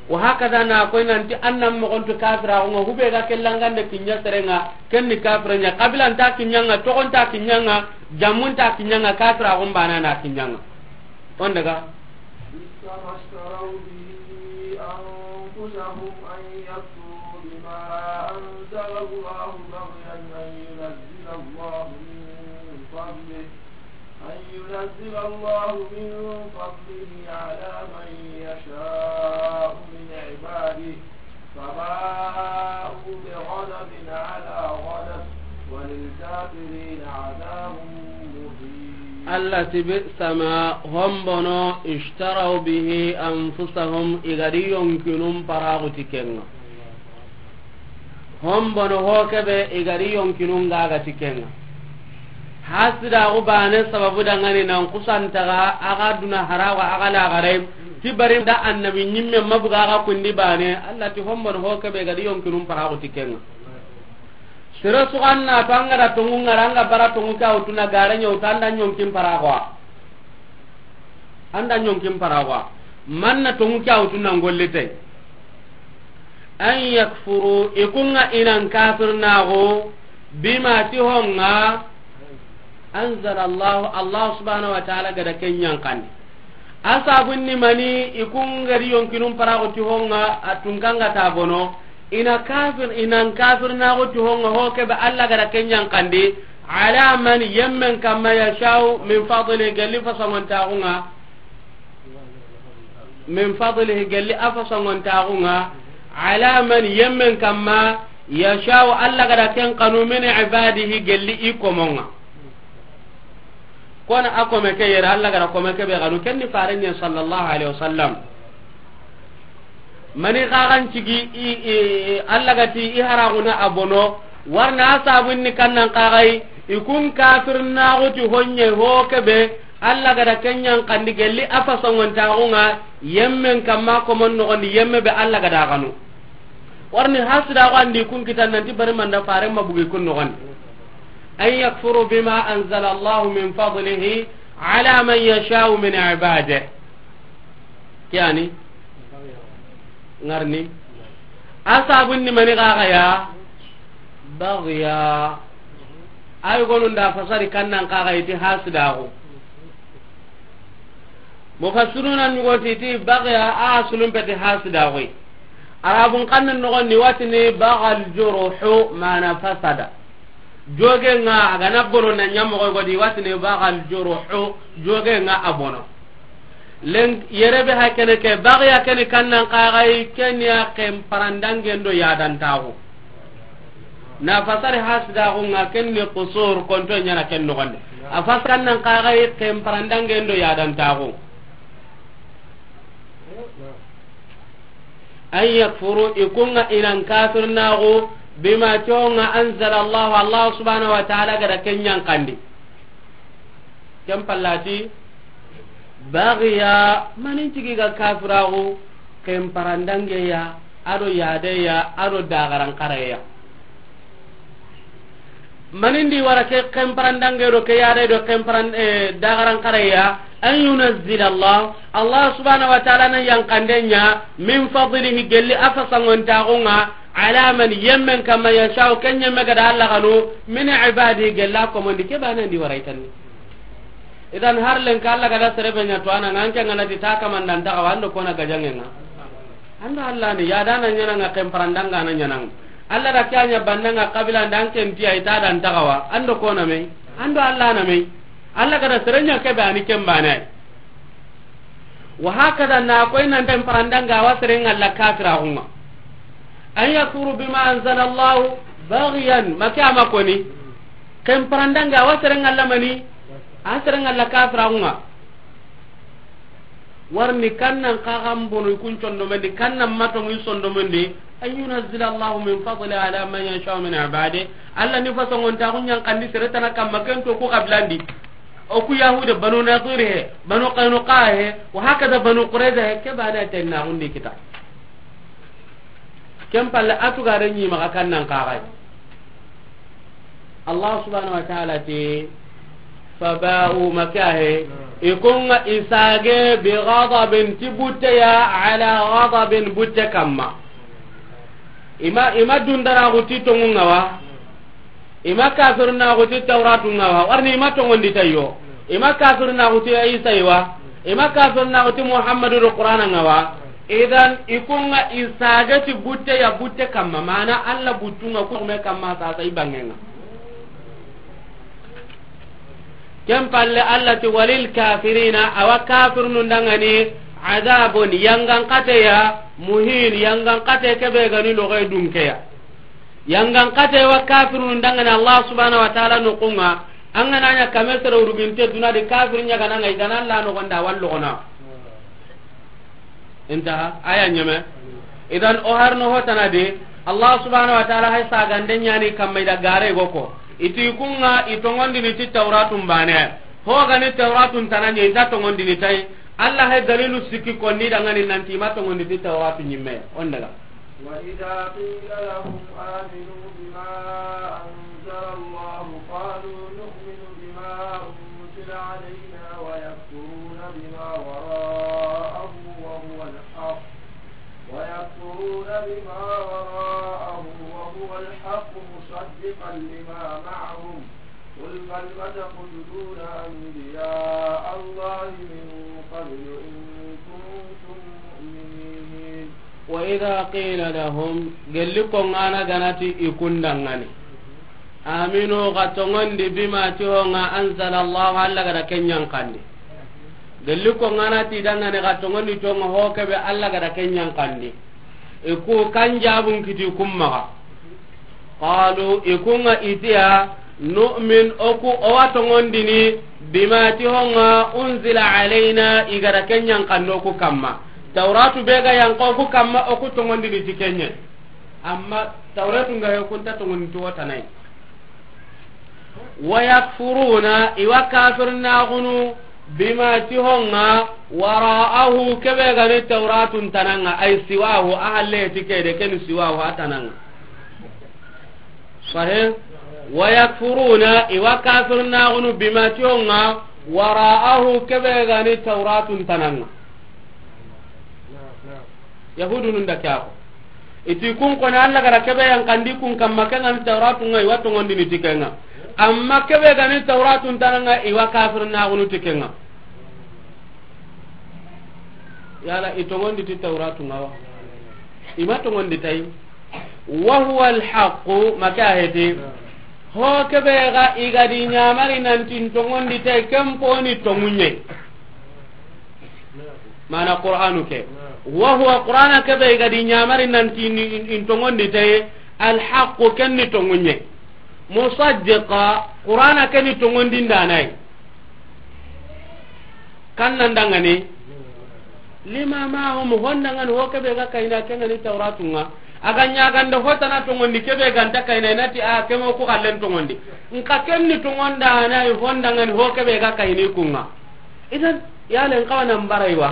Wa hakada na koy nanti annan mogontu kafiraxunga, hube ga ke langande kinya serenga, kenni kafiranya, kabila nta kinyanga, togon ta kinyanga, jamun ta kinyanga, kafiraxun bana na kinyanga. On daga. بئس ما اشتروا به أنفسهم أن يكفروا بما أنزل الله بغيا أن ينزل الله من فضله، أن ينزل الله من فضله على من يشاء من عباده، فباءوا بغضب على غضب، وللكافرين عذاب مهين. Allah ti bi'sa ma, hombono, ishtaraw bihi anfusahum, i ga di yonkinun paraxu ti kenga. Hombono ho kebe i ga di yonkinun ga ga ti kenga. Hasidaxu bane sababu dangani nan kusantaga, a ga duna harawa, a ga lagare, ti bari da annabi nyimme mabuga a ga kundi bane, Allah ti hombono ho kebe i ga di yonkinun paraxu ti kenga. Sere suganna to anga da tongu ngara anga bara tongu ka utuna gare nya utanda nyonkin paraxu. Anda nyonkin paraxu. Manna tongu ka utuna ngollite. An yakfuru, i kunga inan kafirnaxu, bima ti honga, anzala Allah, Allah subhanahu wa ta'ala gada kenyan kandi. A sabunni mani, i kungari yonkinun paraxu ti honga, a tunkanga ta bono, ina kafir, inan kafirnaxu ti honga, ho kebe Allah gada kenyan kandi, ala man yemmen kamma yashau min fadli, gelli fasangontaxunga, min fadlihi, gelli a fasongontaxunga, ala man, yemmen kamma, yashau, Allah gada ken kanu, min ibadihi, gelli i komonga. Kona a kome ke yere, Allah gada kome ke be kanu, kenni farenye sallallahu alaihi wasallam. Mani kagan cigi i, i, i, Allah gati i haraguna a bono, warna a sabunni kannan kagai, i kun kafirnaxu ti honye ho kebe, Allah gada kenyan kandi gelli a fasongontaxunga, yemmen kamma komon noxondi yemme be Allah gada kanu. Warni hasidaxu andi kun kitan nanti bari manda faren mabugi kun noxondi. An yakfuru bima anzala Allahu min fadlihi ala man yashau min ibadihi. Kiyani? Ngarni? A sabunni mani kaga ya? Bagya. Ay gonun da fasari kannan kaga iti hasidaxu. Mufassiruna ñugoti ti bagya a sulum peti hasidaxu. Arabun kannan noxon ni watini bagal juruhu mana fasada. Joge nga a gana bono na ñamoxo godi watini bagal juruhu, joge nga a bono. Len yere be ha kene ke, bagya kene kannan kaxay, kenya ken parandangen do yadantaxu. Na fasari hasidaxu nga kenni qusur, konto ñana ken noxonde. A fas kannan kaxay ken parandangen do yadantaxu. An yakfuru, i kunga inan kafirnaxu, bima, conga, anzala Allah, Allah subhanahu wa ta'ala gada kenyan kandi. Ken pallati, bagya, manin cigi ga kafiraxu, ken parandangeya, ado yadeya, ado dagaran kareya. Manindi wara ke ken parandange do ke yare do ken paran, eh, dagaran kareya, an yunazzila Allah, Allah subhanahu wa ta'ala na yankandenya, min fadlihi, gelli a fasangontaxunga, ala man, yemmen kamma, yashau, ken yemme gada Allah kanu, min ibadihi, gella komondi, ke banandi wara itanni. Idan har lenka Allah gada serebe ña to ana nganke ngana ti ta kamandan taxawa ando kona gajangenga. Ando Allah ni yadana ñananga, ken parandanga na ñananga. Allah da kanya bannanga kabila ndan ken tiya ita dan taxawa ando kona me. Ando Allah na me. Allah gada serenya kebe ani ken bane. Wa hakada na koy nan tan parandanga wa serenga la kafiraxunga. أن يكفروا بما أنزل الله بغيا, ma ke a ma koni. Ken parandanga, a wa seren ŋa la mani, a seren ŋa la kafiraxun ŋa. Warni kannan xaxan bono i kun condomendi, kannan matongi sondomendi, أن ينزل الله من فضله على من يشاء من عباده. Alla ni fasongontaxu ɲankandi sere tana kamma, ken to ku xabilandi. O ku Yahude, Banu Nadir he, Banu Qaynuqa he, wa hakada Banu Qurayza he, ke bane tennaxundi kita. Ken palle a tugare ɲi maxa kannan xaxay. Allah subhanahu wa ta'ala ti, فباءوا, ma ke a he, i kun ŋa i sage, بغضب, ti butte ya, على غضب, butte kamma. I ma, i ma dundaraxu ti tonŋun ŋa wa, i ma kafirinaxu ti Tawratun ŋa wa, warni i ma tonŋondi ta yo, i ma kafirinaxu ti Isa yi wa, i ma kafirinaxu ti Muhammadu do Qur'ana ŋa wa. Idan, i kun ŋa i sage ti butte ya, butte kamma, mana Alla buttun ŋa ku me kamma sasa i bangen ŋa. Ken palle Alla ti, وللكافرين, a wa kafirnun danŋa ni, عذاب, yangan xate ya, مهين, yangan xate ke be ga ni loxe dunke ya. Yangan xate wa kafirnun danŋa ni Allah subhanahu wa ta'ala noxun ŋa, an ga na ɲa kame sere wuruginte duna di, kafir ɲaga na ŋa, i ga na la noxon da, a wa loxona. Intaha, aya ɲeme. Idan, o harno hotana de, Allah subhanahu wa ta'ala hay sagande ɲani kamma i da gare go ko. I ti kun ŋa i tonŋondini ti Tawratun bane. Ho ga ni Tawratun tana ɲa, i nta tonŋondini tay. Alla hay dalilu sikki konni danŋa ni nanti i ma tonŋondi ti Tawratu ɲimme. On daga. وإذا قيل لهم آمنوا بما أنزل الله قالوا نؤمن بما أنزل علينا ويكفرون بما وراءه وهو الحق، ويكفرون بما وراءه وهو الحق مصدقا لما معهم، قل فلم تقتلون أنبياء الله من قبل إن كنتم مؤمنين. وإذا قيل لهم, gelli konŋa na ga na ti i kun danŋa ni, آمنوا, xa tonŋondi, بما, ti ho ŋa, أنزل الله, Alla ga da ken ɲankandi. Gelli konŋa na ti i danŋa ni, xa tonŋondi ti ho ŋa, ho ke be Alla ga da ken ɲankandi. I ku kan jabun kiti kun maxa. قالوا, i kun ŋa i ti ya, نؤمن, o ku o wa tonŋondini, بما, ti ho ŋa, أنزل علينا, i ga da ken ɲankandi o ku kamma. Tawratu be ga yanqa o ku kamma, o ku tonŋondini ti ken ɲa. Amma Tawratu ŋa he, o ku nta tonŋondini ti wo tana yi. ويكفرون, i wa kafirnaxunu, بما, ti ho ŋa, وراءه, ke be ga ni Tawratun tana ŋa, أي سواه, a halle ti ke de, ken ni سواه, a tana ŋa. Sahih? ويكفرون, i wa kafirnaxunu, بما, ti ho ŋa, وراءه, ke be ga ni Tawratun tana ŋa. Yahudunun da ke ya ko. I ti kun koni Alla ga da ke be yankandi kun kamma, ken ŋa ni Tawratu ŋa, i wa tonŋondini ti ken ŋa. Amma ke be ga ni Tawratun tana ŋa, i wa kafirnaxunu ti ken ŋa. Yala i tonŋondi ti Tawratu ŋa wa? I ma tonŋondi tay. وهو الحق, ma ke a heti. Ho ke be ga i ga di ɲamari nanti n tonŋondi tay, ken po ni tonŋu ɲa yi. Mana Qur'anu ke. وهو, Qur'ana ke be i ga di ɲamari nanti ni, in, in tonŋondi tay, الحق, ken ni tonŋu ɲa yi. مصدقا, Qur'ana ke ni tonŋondindana yi. Kan nan danŋa ni. لما معهم, ho n danŋa ni, ho ke be ga kayini, ken ŋa ni Tawratu ŋa. A ga ɲa ganda ho tana tonŋondi, ke be ga nta kayini, i na ti a, ke mo ku xallen tonŋondi. Nxa ken ni tonŋondana yi, ho n danŋa ni, ho ke be ga kayini kun ŋa. Idan, yala n xawa nan bara yi wa?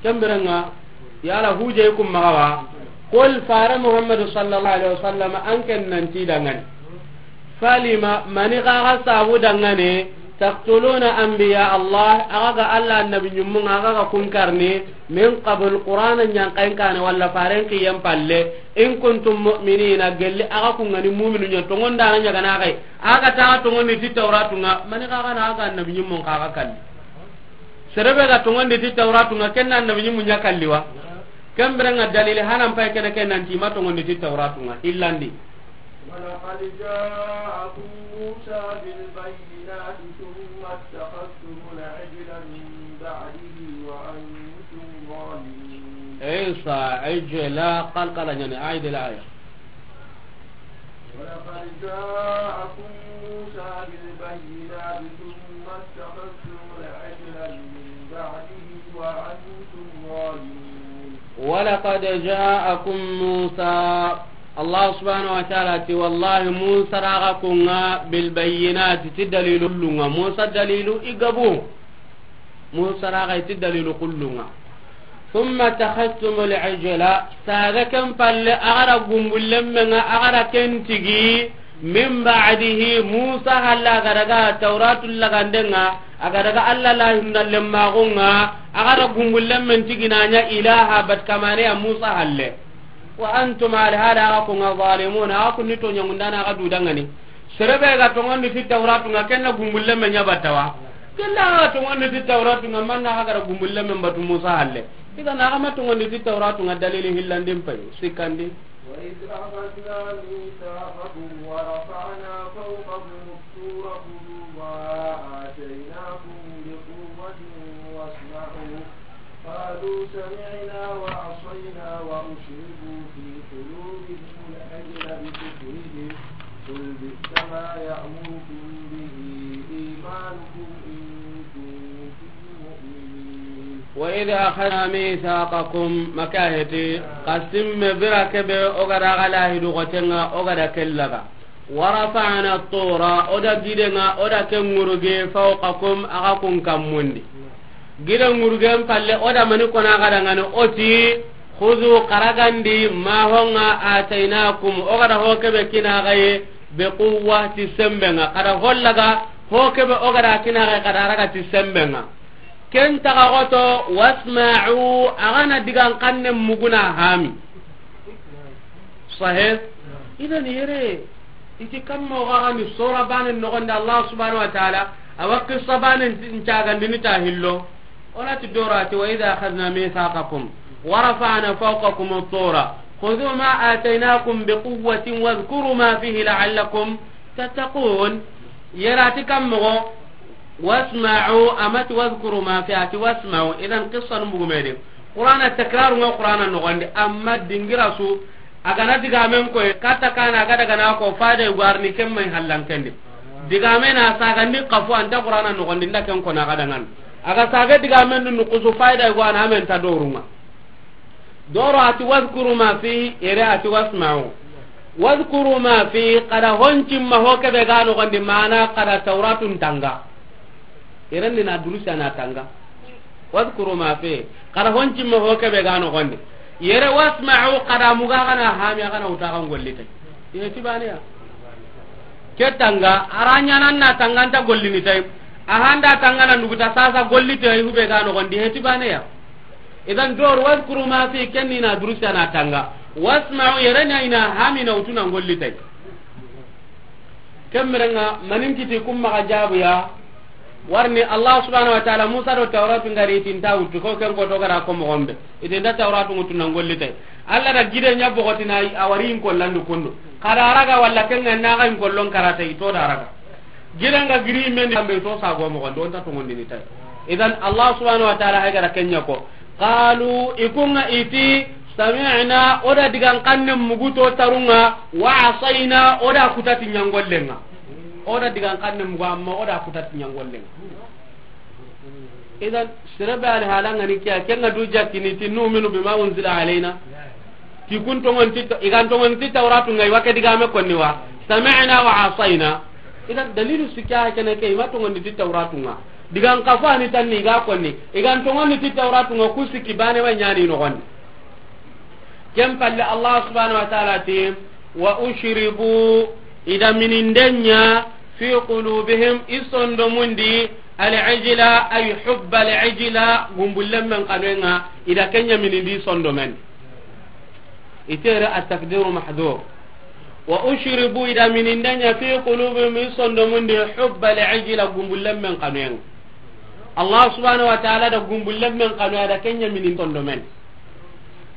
Ken biren ŋa, yala hujje kun maxa wa? قل, fare Muhammadu sallallahu alaihi wasallam, an ken nan ti danŋa ni. فلم, mani xa ga sabu danŋa ni, تقتلون أنبياء الله, a ga ga Alla annabi ɲimmun ŋa, a ga ga kun karni, من قبل, Qur'ana ɲanqayin kaane, walla faren kiyen palle, إن كنتم مؤمنين, gelli a ga kun ŋa ni mu'minu ɲa, tonŋondana ɲaga na xa yi, a ga ta tonŋondi ti Tawratu ŋa, mani xa ga na a ga annabi ɲimmun xa ga kalli. Sere be ga tonŋondi ti Tawratu ŋa, ken na annabi ɲimmu ɲa kalli wa? Ken biren ŋa dalili hanan pay kene, ken nanti i ma tonŋondi ti Tawratu ŋa, hillandi. ولقد جاءكم موسى بالبينات ثم اتخذتم العجل من بعده وأنتم ظالمون. عيسى عجلا قلقلا، يعني أعيد الآية. ولقد جاءكم موسى بالبينات ثم اتخذتم العجل من بعده وأنتم ظالمون. ولقد جاءكم موسى، الله سبحانه وتعالى تي، والله موسى راغا كونغا بالبينات، تي دليل لونغا، موسى دليل إيغابو. Musa raga iti dalilu kullunga. ثم اتخذتم العجل, saga ken palle a ga ra gumbullen menga, a ga ra ken tigi, من بعده, Musa halla a ga daga Tawratu lagandenga, a ga daga Alla la hinna lemmagunga, a ga ra gumbullen men tigi na nya ilaha bat kamane ya Musa halle. وأنتم, alhala a ga kunga, ظالمون, a ga kunni toñangundana, a ga dudangani. Serebe ga tongondi ti Tawratunga, kenna gumbulle me ña battawa. Kenna ga tongondi ti Tawratunga, manna ga gara gumbulle me batu Musa halle. Idan a ga ma tongondi ti Tawratunga, dalili hillandin pay, sikkandi. وإذ أخذنا ميثاقكم ورفعنا فوقكم الطور خذوا ما آتيناكم بقوة واسمعوا قالوا سمعنا وعصينا وأشربوا في قلوبهم العجل بكفرهم قل بئس ما يأمركم به إيمانكم إن كنتم مؤمنين. وإذ أخذنا ميثاقكم, makaheti, kasim bira kebe o ga da ga lahidu gotenga, o ga da kellaga. ورفعنا الطور, o da gidenga, o da ke ŋuruge, فوقكم, a ga kun kammundi. Gide ŋurugen palle, o da mani kona ga dangani, o ti, خذوا, karagandi, ما, honga, آتيناكم, o ga da ho kebe kinaga ye, بقوة, ti sembenga, kada hollaga, ho kebe o ga da kinaga ye, kada raga ti sembenga. Ken taga goto, واسمعوا, a ga na digan kanne muguna hami. Sahih? Idan yere, iti kamma o ga ni sora banen nogondi Allah subhanahu wa ta'ala, a wa qissa banen ncagandini ta hillo. O na ti doro a ti, وإذ أخذنا ميثاقكم ورفعنا فوقكم الطور خذوا ما آتيناكم بقوة واذكروا ما فيه لعلكم تتقون. Yere a ti kamma go, واسمعوا, a ma ti واذكروا ما فيه, a ti واسمعوا. Idan qissa nu bugu me de. Qur'ana takraru nga Qur'ana nogondi, amma dingira su, a ga na digamen koy, kata kana a ga daga na ko fayda yugo arni ken may hallankendi. Digame na sagandi kafu anta Qur'ana nogondi nda ken ko na ga dangan. A ga saga digamen nu nukusu fayda yugo ana men ta dorunga. Doro a ti واذكروا ما فيه, yere a ti واسمعوا. واذكروا ما فيه, kada honcimma ho kebe ga nogondi, mana kada Tawratun tanga. Yere ni na durusi ana tanga. واذكروا ما فيه, kada honcimma ho kebe ga nogondi. Yere واسمعوا, kada muga ga na hami, a ga na wuta ga gollitay. Ihe ti bane ya. Ke tanga, a ra ñanan na tanga nta gollini tay. A handa tanga na nuguta sasa gollitay, hube ga nogondi, ihe ti bane ya. Idan doro واذكروا ما فيه, ken ni na durusi ana tanga. واسمعوا, yere na ina hami na wutu na gollitay. Ken merenga, manin kiti kum maxa jabu ya. Warni Allah subhanahu wa ta'ala, Musa do Tawratu ngari tinta wutu, ko ken ko to gara ko mo gombe. Itinda Tawratu mutu na gollitay. Allah da gide ña bogotina a wari in kollandu kundu. Kada raga walla ken na ga in kollon karata i to da raga. Gide nga giri men ambe to sa go mo gondo, on ta to ngondini tay. Idan Allah subhanahu wa ta'ala hay gara ken ña ko. Qalu, i kunga i ti, sami'na, o da digan kanne mugu to tarunga, wa asayna, o da kutati ñangollenga. O da digan kanne mugu, amma o da kutati ñangollenga. Idan, sirebe ali halanga ni kiya, kenga du jakkini ti, nu'minu bima unzila alayna. Ti kun tongon ti, i gan tongon ti Tawratu ngai, wa ke digame konni wa. Sami'na wa asayna. Idan, dalilu sikya kene ke, i ma tongon ti Tawratu nga. Digan kafa ni tanni ga konni. I gan tongon ti Tawratu nga ku sikki bane wa ñani no gonni. Ken palle Allah subhanahu wa ta'ala ti, wa ushribu, i da minindenya, fi qulubihim, i sondomundi, al-ijla, ay hubba al-ijla, gumbullen men kanenga, i da kenya minindi sondomen. Itere at-taqdiru mahdhur. Wa ushribu, i da minindenya, fi qulubihim, i sondomundi, hubba al-ijla, gumbullen men kanenga. Allah subhanahu wa ta'ala da gumbullen men kanu, a da kenya minin sondomen.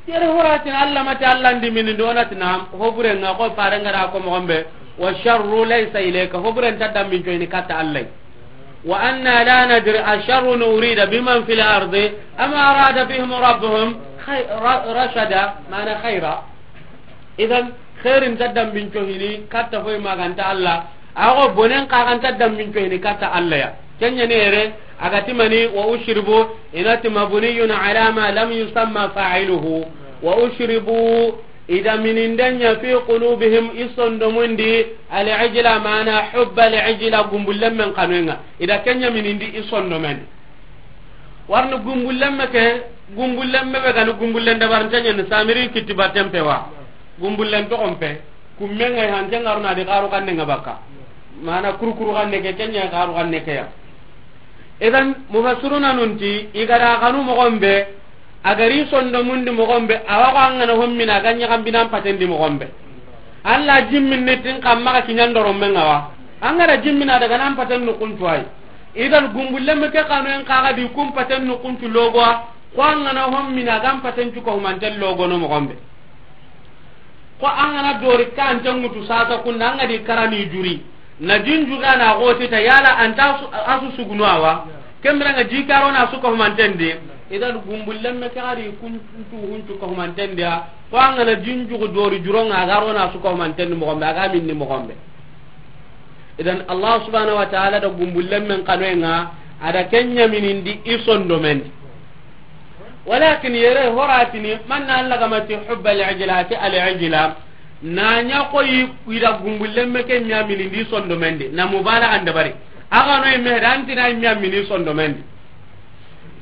Yere horatin Allah mati Allah ndi minin do natina, ho burenga ko parengara ko mo gombe, wa sharru laysa ilayka, ho buren tadda min joini kata Allah. Wa anna la nadri asharrun urida biman fil ardi am arada bihim rabbuhum Khay-, ra-, rashada, mana khayra. Idan, khairin ta dambin cohini, katta foy maganta Allah. Ago bonen ka ganta dambin cohini, katta Allah ya. Kenya nere, agati mani, wa ushribu, inati mabniyun ala ma lam yusamma fa'iluhu. Wa ushribu, ida minindenya fi qulubihim, isondomundi, al-ijla, mana hubba al-ijla, gumbullen men kanwenga. Ida kenya minindi isondomen. Warni gumbullen me ke, gumbullen me be gani gumbullen dabarinte ɲeni Samiri kitti batten pe wa. Gumbullen toxon pe, kummen ŋa hanke ŋaruna di xaru xanne ŋa bakka. Mana kurukuru xanne ke, kenya xaru xanne ke ya. Idan, mufassiruna nunti, i ga da xanu moxon be, a gari sondomundi moxon be, awa ko an gana hommina, a ga ɲaxambinan patendi moxon be. Allah jimmin ni tin xa maxa kiɲan doron men ŋa wa. An ga da jimmina daga nan paten nu kuntu ay. Idan gumbullen me ke kanu en kaga di kun paten nu kuntu logo, ko an gana hommina gan paten cu ko humanten logo no moxon be. Ko an gana dori kan tangutu sasa kunna an ga di karani juri. Na jinju gana goti ta yala anta su-, asu sugunu awa. Kembira nga jikaro na su ko humanten de. Idan gumbullen me ke gari kuntu huncu ko humanten de. Ko an gana jinju dori juronga garo na su ko humanten moxon be, a ga minni moxon be. Idan Allah subhanahu wa ta'ala da gumbullen men kanoenga, ada kenya minindi isondomen. Walakin yere horatini, man na Allah gamati hubba al-ijla, ati al-ijla. Na nya ko yi, ida gumbullen me ke nya minindi sondomen de. Na mubalaga ndabari. Aga no imme danti na imme mini sondomen de.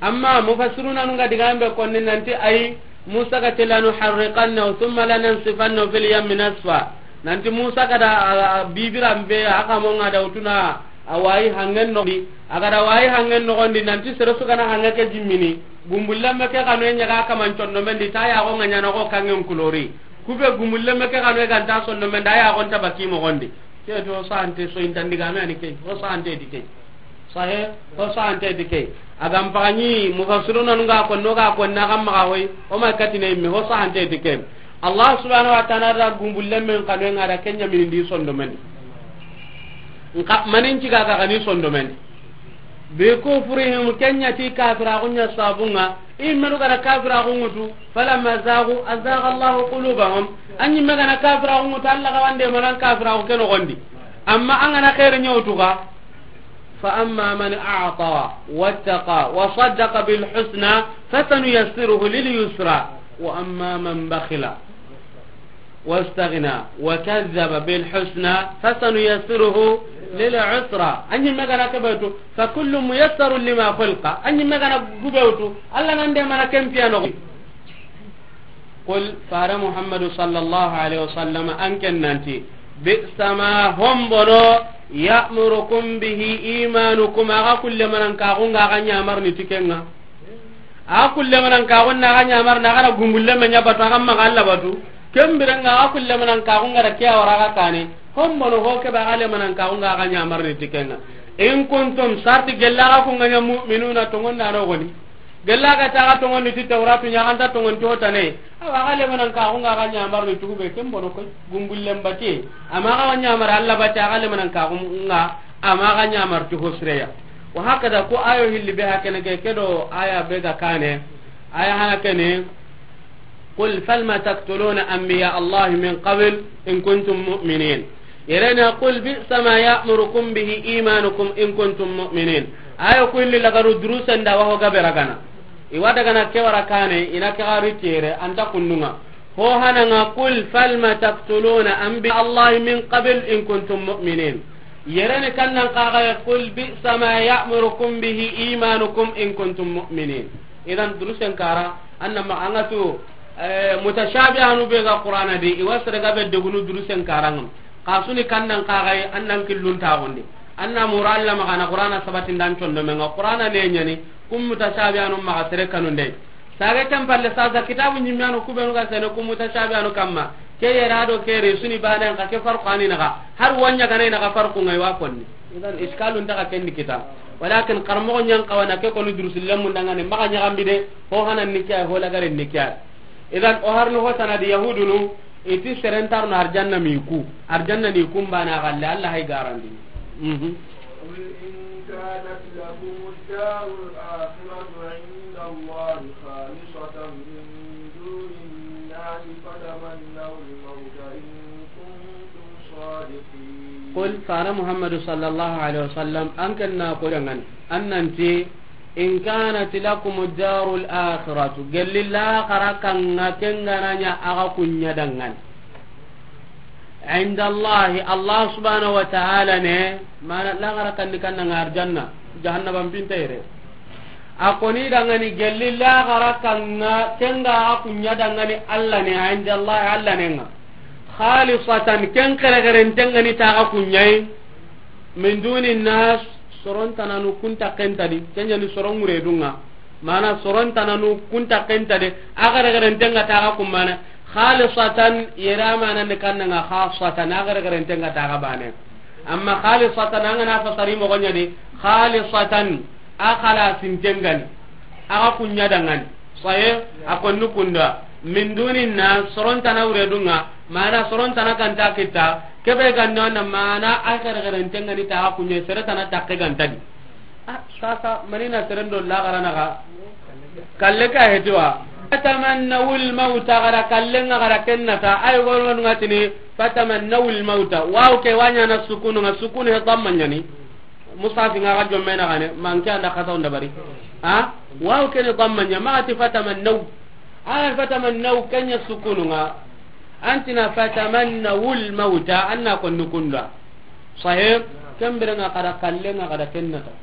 Amma mufassiruna nunga digambe konni nanti ay Musa ga tela nu harriqanna thumma lanansifanna fil yammi nasfa. Nanti Musa ga da, a, a, bibiran be a kamo nga da utuna a wayi hangen no di. A ga da wayi hangen no gondi nanti sere su gana hanga ke jimmini. Gumbullen me ke kanu nya ga kaman conno men di ta ya go nga nya no go kangen kulori. Kube gumbullen me ke kanu ga nta sonno men da ya go nta baki mo gondi. Ke to sante so intandiga me ani ke. O sante di ke. Sahe, ho sahante ti ke. Agam pagani mufassiruna nunga ko noga ko na gam maga hoy, o ma katine imme ho sahante ti ke. Allah subhanahu wa ta'ala da gumbullen men kanu nga da kenya minindi sondomen. Nka manin ciga ga gani sondomen. Bi kufrihim, kenya ti kafira gunya sabunga, imme du gara kafira gungutu, falamma zagu azagha Allahu qulubahum. Anyi megana kafira gungutu Allah ga wande manan kafira ku keno gondi. Amma angana khair nyawtuga. فأما من أعطى واتقى وصدق بالحسنى فسنيسره لليسرى وأما من بخل واستغنى وكذب بالحسنى فسنيسره للعسرى. Anyi megana kebetu, فكل ميسر لما خلق. Anyi megana gubetu, Allah nande mana kempiano. Qul, fara Muhammadu sallallahu alaihi wasallam, an ken nanti, bi'sa ma hombono, ya'murukum bihi imanukum, aga kulle manan kaxunga aga ɲamarni tikenga. Aga kulle manan kaxunna aga ɲamarni, aga na gumbulle me ɲabatu, aga maga Allah batu. Kembirenga aga kulle manan kaxunga da kiya wara aga kane. Hombono ho kebe aga le manan kaxunga aga ɲamarni tikenga. In kuntum, sarti gella aga kunga ɲa mu'minuna, tongonna no goni. Gella ga ta ga tongondi ti Tawratu ɲa, an ta tongon to tane. Awa, ga le manan kaxunga ga ɲamarni tugube, ken bono koy, gumbullen bate. Amma ga ɲamar Allah bate, ga le manan kaxunga, amma ga ɲamar tu hosreya. Wa hakada ko ayo hilli be hakene ke, kedo aya be ga kane. Aya hana kene. قل فلم تقتلون أنبياء الله من قبل إن كنتم مؤمنين. Yerena, قل بئس ما يأمركم به إيمانكم إن كنتم مؤمنين. Ayo ku illi lagaru durusen da waho gabe ragana. Iwa dagana ke wara kane, ina ke gari tere, anta kundunga. Ho hananga, قل فلم تقتلون أنبياء الله من قبل إن كنتم مؤمنين. Yereni kannan kaga, قل بئس ما يأمركم به إيمانكم إن كنتم مؤمنين. Idan durusen kara, anna ma anga tu, eh, mutashabihanu be ga Qur'ana di, iwa sere ga be degunu durusen karanga. Kasuni kannan kagai, annan killun tagundi. Anna mura Allah magana Qur'ana sabatin dan condo menga Qur'ana ne nyani, kum mutashabihanu maga sere kanunde. Sage kan palle sasa kitabu nyimmanu kubenu ga sene kum mutashabihanu kamma. Ke yera do ke resuni banen ka ke farqu ani naga. Har wanya gane naga farqu ngai wa konni. Idan iskalun daga kendi kita. Walakin karmo nyan kawana ke koni durusi lemu dangane maga nyagambide, ho hanan nikiya, ho lagare nikiya. Idan o harno ho sanadi yahudunu, iti serentarno arjanna miku. Arjanna ni kumbana galle, Allah hay garandi. Mhm. قل إن كانت لكم الدار الآخرة عند الله خالصة من فتمنوا الموت إن كنتم صادقين. Qul, fara Muhammadu sallallahu alaihi wasallam, an ken na ko dangan, an nanti, in kanat lakum darul akhiratu, gelli laxara kanga ken ga na ɲa axa kun ɲa dangan. Inda Allahi, Allah subhanahu wa ta'ala ne, mana laxara kandi kannanga arjanna, jahannaba mpinta yere. A koni dangani gelli laxara kanga, kenga a kunya dangani Allah ne, inda Allahi Allah ne nga. Khalisatan, ken xerexeren tengani taxa kunyai. Min duni nas, soron tananu kunta kentadi, kenyani soron ŋure dunga. Mana soron tananu kunta kentade, a xerexeren tenga taxa kumbane. Khalisatan, yere amana ne kannanga khasatan, a xerexeren tenga taxa bane. Amma khalisatan, an gana fasari moxo ɲadi, khalisatan, a xalasin tengani. Axa kunya dangani. Saye, a konni kunda. Min duni na soron tana wure dunga, mana soron tana kanta kita, kebe ganda na mana a xerexeren tengani taxa kunya sere tana takke gantadi. Ah, sasa, manina serendo laxara naxa. Kalle ka hetiwa. Fatamannawul mauta, gara kallenga gara kennata. Ay, gono ngatini, fatamannawul mauta. Waw ke wanya na sukunu, nga sukunu he damma ɲani. Musafi nga ga jomme na gane, manke anda kata onda bari. Ha? Waw ke ne damma ɲa, ma ati fatamannaw. Ah, fatamannaw kenya sukunu nga. Antina fatamannawul mauta, anna ko nukunda. Sahib, kembere nga kada kallenga kada kennata.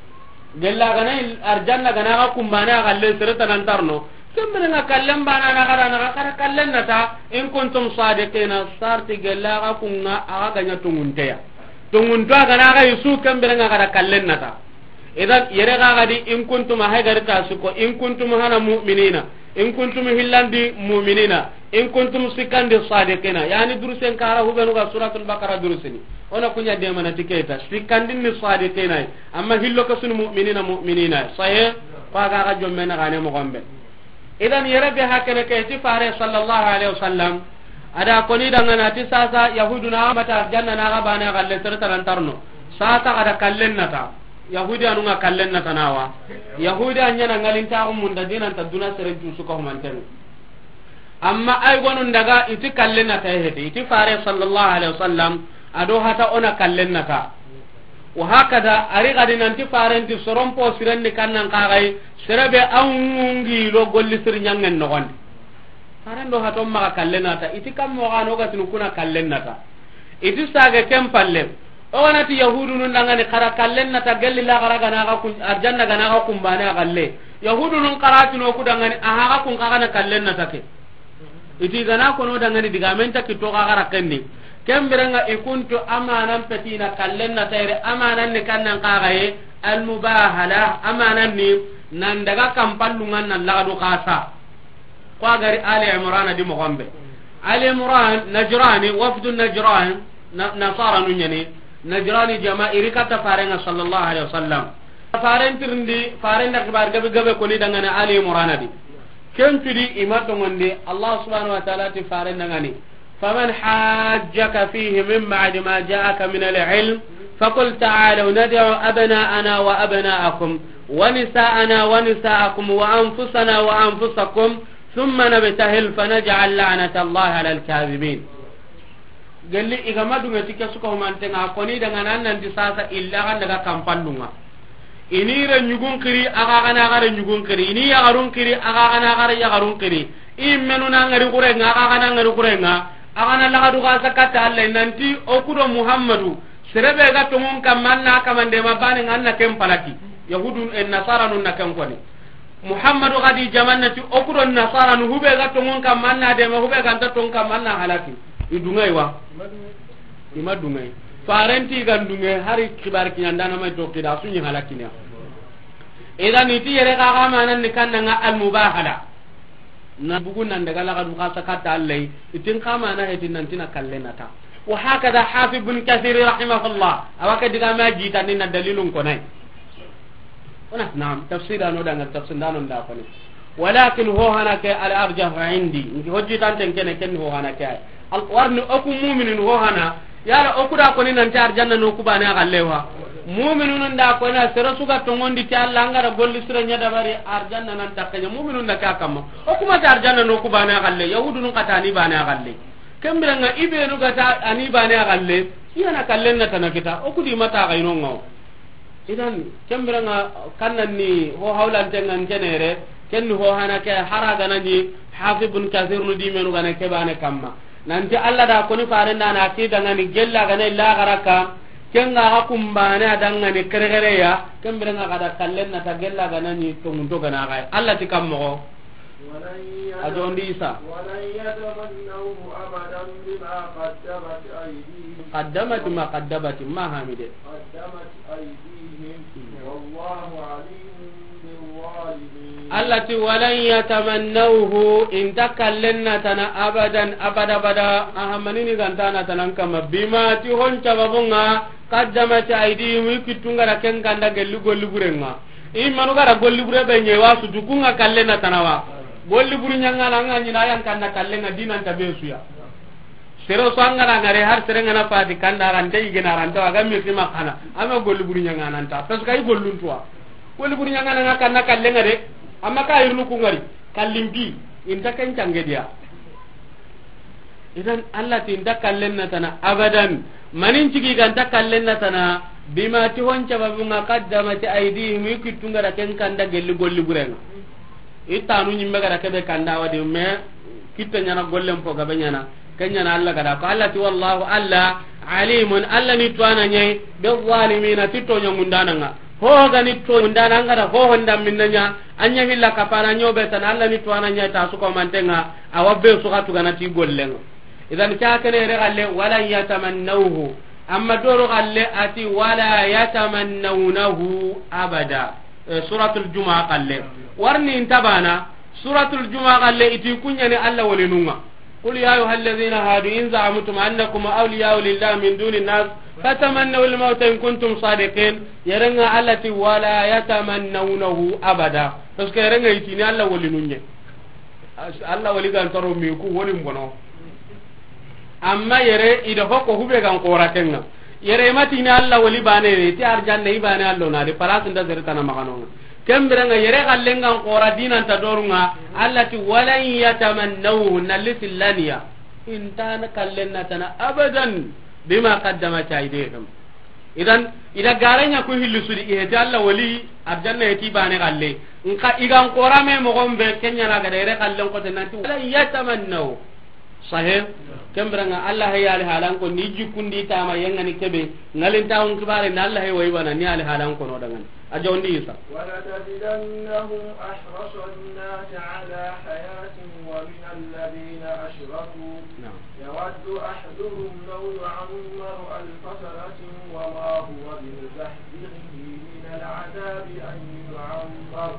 Gella gana il-, arjanna gana ga kumbane a galle sere tanantarno. Kembere nga kallen bana na kada na kada kallen nata. In kuntum sadiqina, sarti gella ga kunga aga ganya tungunteya. Tungunto gana ga isu kembere nga kada kallen nata. Idan yere ga gadi in kuntum a hegari ta suko, in kuntum hana mu'minina. In kuntum hillandi mu'minina, in kuntum sikkandi sadiqina. Yani durusen kara hubenu ga Suratul Baqara durusini. Ona kunya de mana tiketa. Sikkandi ni sadiqina. Amma hillo kasuni mu'minina, mu'minina. Sahe, kwa ga ga jomme na gane mo gombe. Idan yere be hakene ke ti fare sallallahu alaihi wasallam. Ada koni dangana ti sasa Yahuduna mata janna na ga bana galle sere tanantarno. Sasa kada kallen nata. Yahudi anu nga kallen na tanawa. Yahudi anya na ngalinta ko munda dinanta duna sere jusu ko manten. Amma ay gonun daga iti kallen na ta hete. Iti fare sallallahu alaihi wasallam ado hata ona kallen na ta. Wa hakada ari gadi nanti faren ti soron po siren ni kannan kagai serebe an ngi lo golli sir nyangen no gondi. Faren do hato maxa kallen na ta. Iti kam mo gano ga tinu kuna kallen na ta. Iti sage ken palle. O ganati Yahudunun dangani xara kallen nata gelli la xara gana ga kun, arjanna gana ga kumbane a galle. Yahudunun xara tino ku dangani a haga kun xa gana kallen nata ke. Iti gana kono dangani diga men ta kito xa xara kendi. Kembirenga ikuntu amanan petina kallen nata ere amanan ni kannan xa gaye almubahala amanan ni nan daga kampallungan nan lagadu xasa. Ko a gari Ali Imran di mo gombe. Ali Imran, Najrani, wafdu Najran, na-, Nasara nu ɲani. Najrani jama iri katta farenga sallallahu alaihi wasallam. Faren tirindi, faren da xibar gabe gabe koni dangane Ali Imran di. Ken tudi ima tongondi, Allah subhanahu wa ta'ala ti faren dangani. فمن حاجك فيه من بعد ما جاءك من العلم فقل تعالوا ندع أبناءنا وأبناءكم ونساءنا ونساءكم وأنفسنا وأنفسكم ثم نبتهل فنجعل لعنة الله على الكاذبين. Gelli igama dunga tike suka humantenga koni daga nan nan di sasa illa kan daga kampallunga. Ini re ɲugun kiri, aga gana gare ɲugun kiri. Ini yagarun kiri, aga gana gare yagarun kiri. I menu na ngari kurenga, aga gana ngari kurenga. Aga na lagadu ga sakata Allah nanti okudo Muhammadu. Serebe ga tongun kamanna kamande ma bani nganna ken palaki. Yahudun en nasara nun na ken koni. Muhammadu gadi jamannati okudo nasara nu hube ga tongun kamanna de ma hube ga nta tongun kamanna halaki. Idungai wa. Ima dungai. Farenti gandunge hari kibar kiɲandana mai to kida sunyi halakina. Idan iti yere ga ga manan ni kannanga almubahala. Na bugu nan daga lagadu xasa katta Allah itin kamana hetin nan tina kallenata. Wa hakada Hafiz bin Kathir rahimahullah. Awaka diga ma jita ni na dalilun konai. Ona, naam, tafsir ano danga tafsir dano nda koni. Walakin ho hana ke al arjah indi. Ngi hojji tanten kene ken ho hana ke ay. Al warni oku mu'minin ho hana. Yala oku da koni nan ta arjanna no ku bana gallewa. Mu'minunun da ko na sere su ga tongondi ti Alla, an ga da golli sire ɲa dabari, arjanna nan takkanya. Mu'minun da ka kamma. O kuma ta arjanna no ku bane a galle, yahudunun katani bane a galle. Kembirenga ibenu ga ta ani bane a galle, iyana kallen na tana kita. O kudi mata ga inonga. Idan, kembirenga kannan ni ho hawlantenga ntenere, ken ni ho hana ke hara gana ni Hafiz ibn Kathir nu di menu gana ke bane kamma. Nanti Alla da koni farenda na kidanga ni gella gana illa garaka, kenga ga kumbane adanga ni kere kere ya, kembirenga ga da kallen na ta gella gana ni tongunto gana ga. Alla ti kammo. A jondi Isa. ولن يتمنوه أبدا بما قدمت أيديهم. قدمت ما قدمت ما حمده. قدمت أيديهم. والله عليم بالظالمين. Alla ti, ولن يتمنوه, inta kallen na tana abadan, abada, abada, ahamanini gantana tanan kama, bima ti hon sababunga, قدمت أيديهم, i kittunga da ken kanda gelli golli burenga. I manu ga da golli bure be ɲe wa su dukunga kallen na tana wa. Golli buru ɲanga na nga ɲina yan kanna kallen nga dinan ta be suya. Sero so an ga na ngare har sere nga na fati kanda rante igena rante wa ga mi sima kana. Ama golli buru ɲanga nan ta. Parce que i gollun tuwa. Golli buru ɲanga na nga kanna kallen nga de. Amma ka irnu ku ngari. Kallimpi. Inta ken cange dia. Idan Alla ti inta kallen na tana abadan. Manin cigi ganta kallen na tana bima ti hon sababunga قدمت أيديهم, i kittunga da ken kanda gelli golli burenga. I tanu ɲimme ga da kebe kanda wadi me kitte ɲana gollen po gabe ɲana. Ken ɲana Alla ga da ko Alla ti والله Alla عليم, Alla ni tuwana ɲai بالظالمين, ti toɲa mundananga. Ho ga ni to ndana an ga da ho honda minna ɲa, an ɲa hilla kapana ɲobe tan Alla ni to ana ɲa ta su ko mantenga, awa be su ga tugana ti gollenga. Idan ka kene re galle ولن يتمنوه. Amma doro galle ati ولا يتمنونه أبدا. Eh, Suratul Jumu'a galle. Warni intabana, Suratul Jumu'a galle iti kunyani Alla walinunga. قل يا أيها الذين هادوا إن زعمتم أنكم أولياء لله من دون الناس فتمنوا الموت إن كنتم صادقين. Yerenga Alla ti ولا يتمنونه أبدا. Parce que yerenga itini Alla walinunye. Alla wali gan taro mi ku woli mbono. Amma yere ida hoko hube gan koratenga. Yere matini Alla wali bane ne ti arjanna ibane Alla na de palas nda sere tana maganonga. Kembirenga yere kallengan kora dinanta dorunga, Alla ti ولن يتمنوه, nalli sillaniya. Intana kallen na tana abadan بما قدمت أيديهم. Idan, ida garanya ku hillu sudi, iheti Alla wali, arjanna heti bane galle. Nka igan kora me mogon be kenya na ga da yere kallen kote nanti ولن يتمنوه. Sahe, kembirenga Alla hay ali halan ko ni jikundi tama yengani kebe, ngalinta on kibare na Alla hay wayi bana ni ali halan ko no dangan. A jondi Isa. ولتجدنهم أحرص الناس على حياة ومن الذين أشركوا. Naam. يود أحدهم لو يعمر ألف سنة وما هو بمزحزحه من العذاب أن يعمر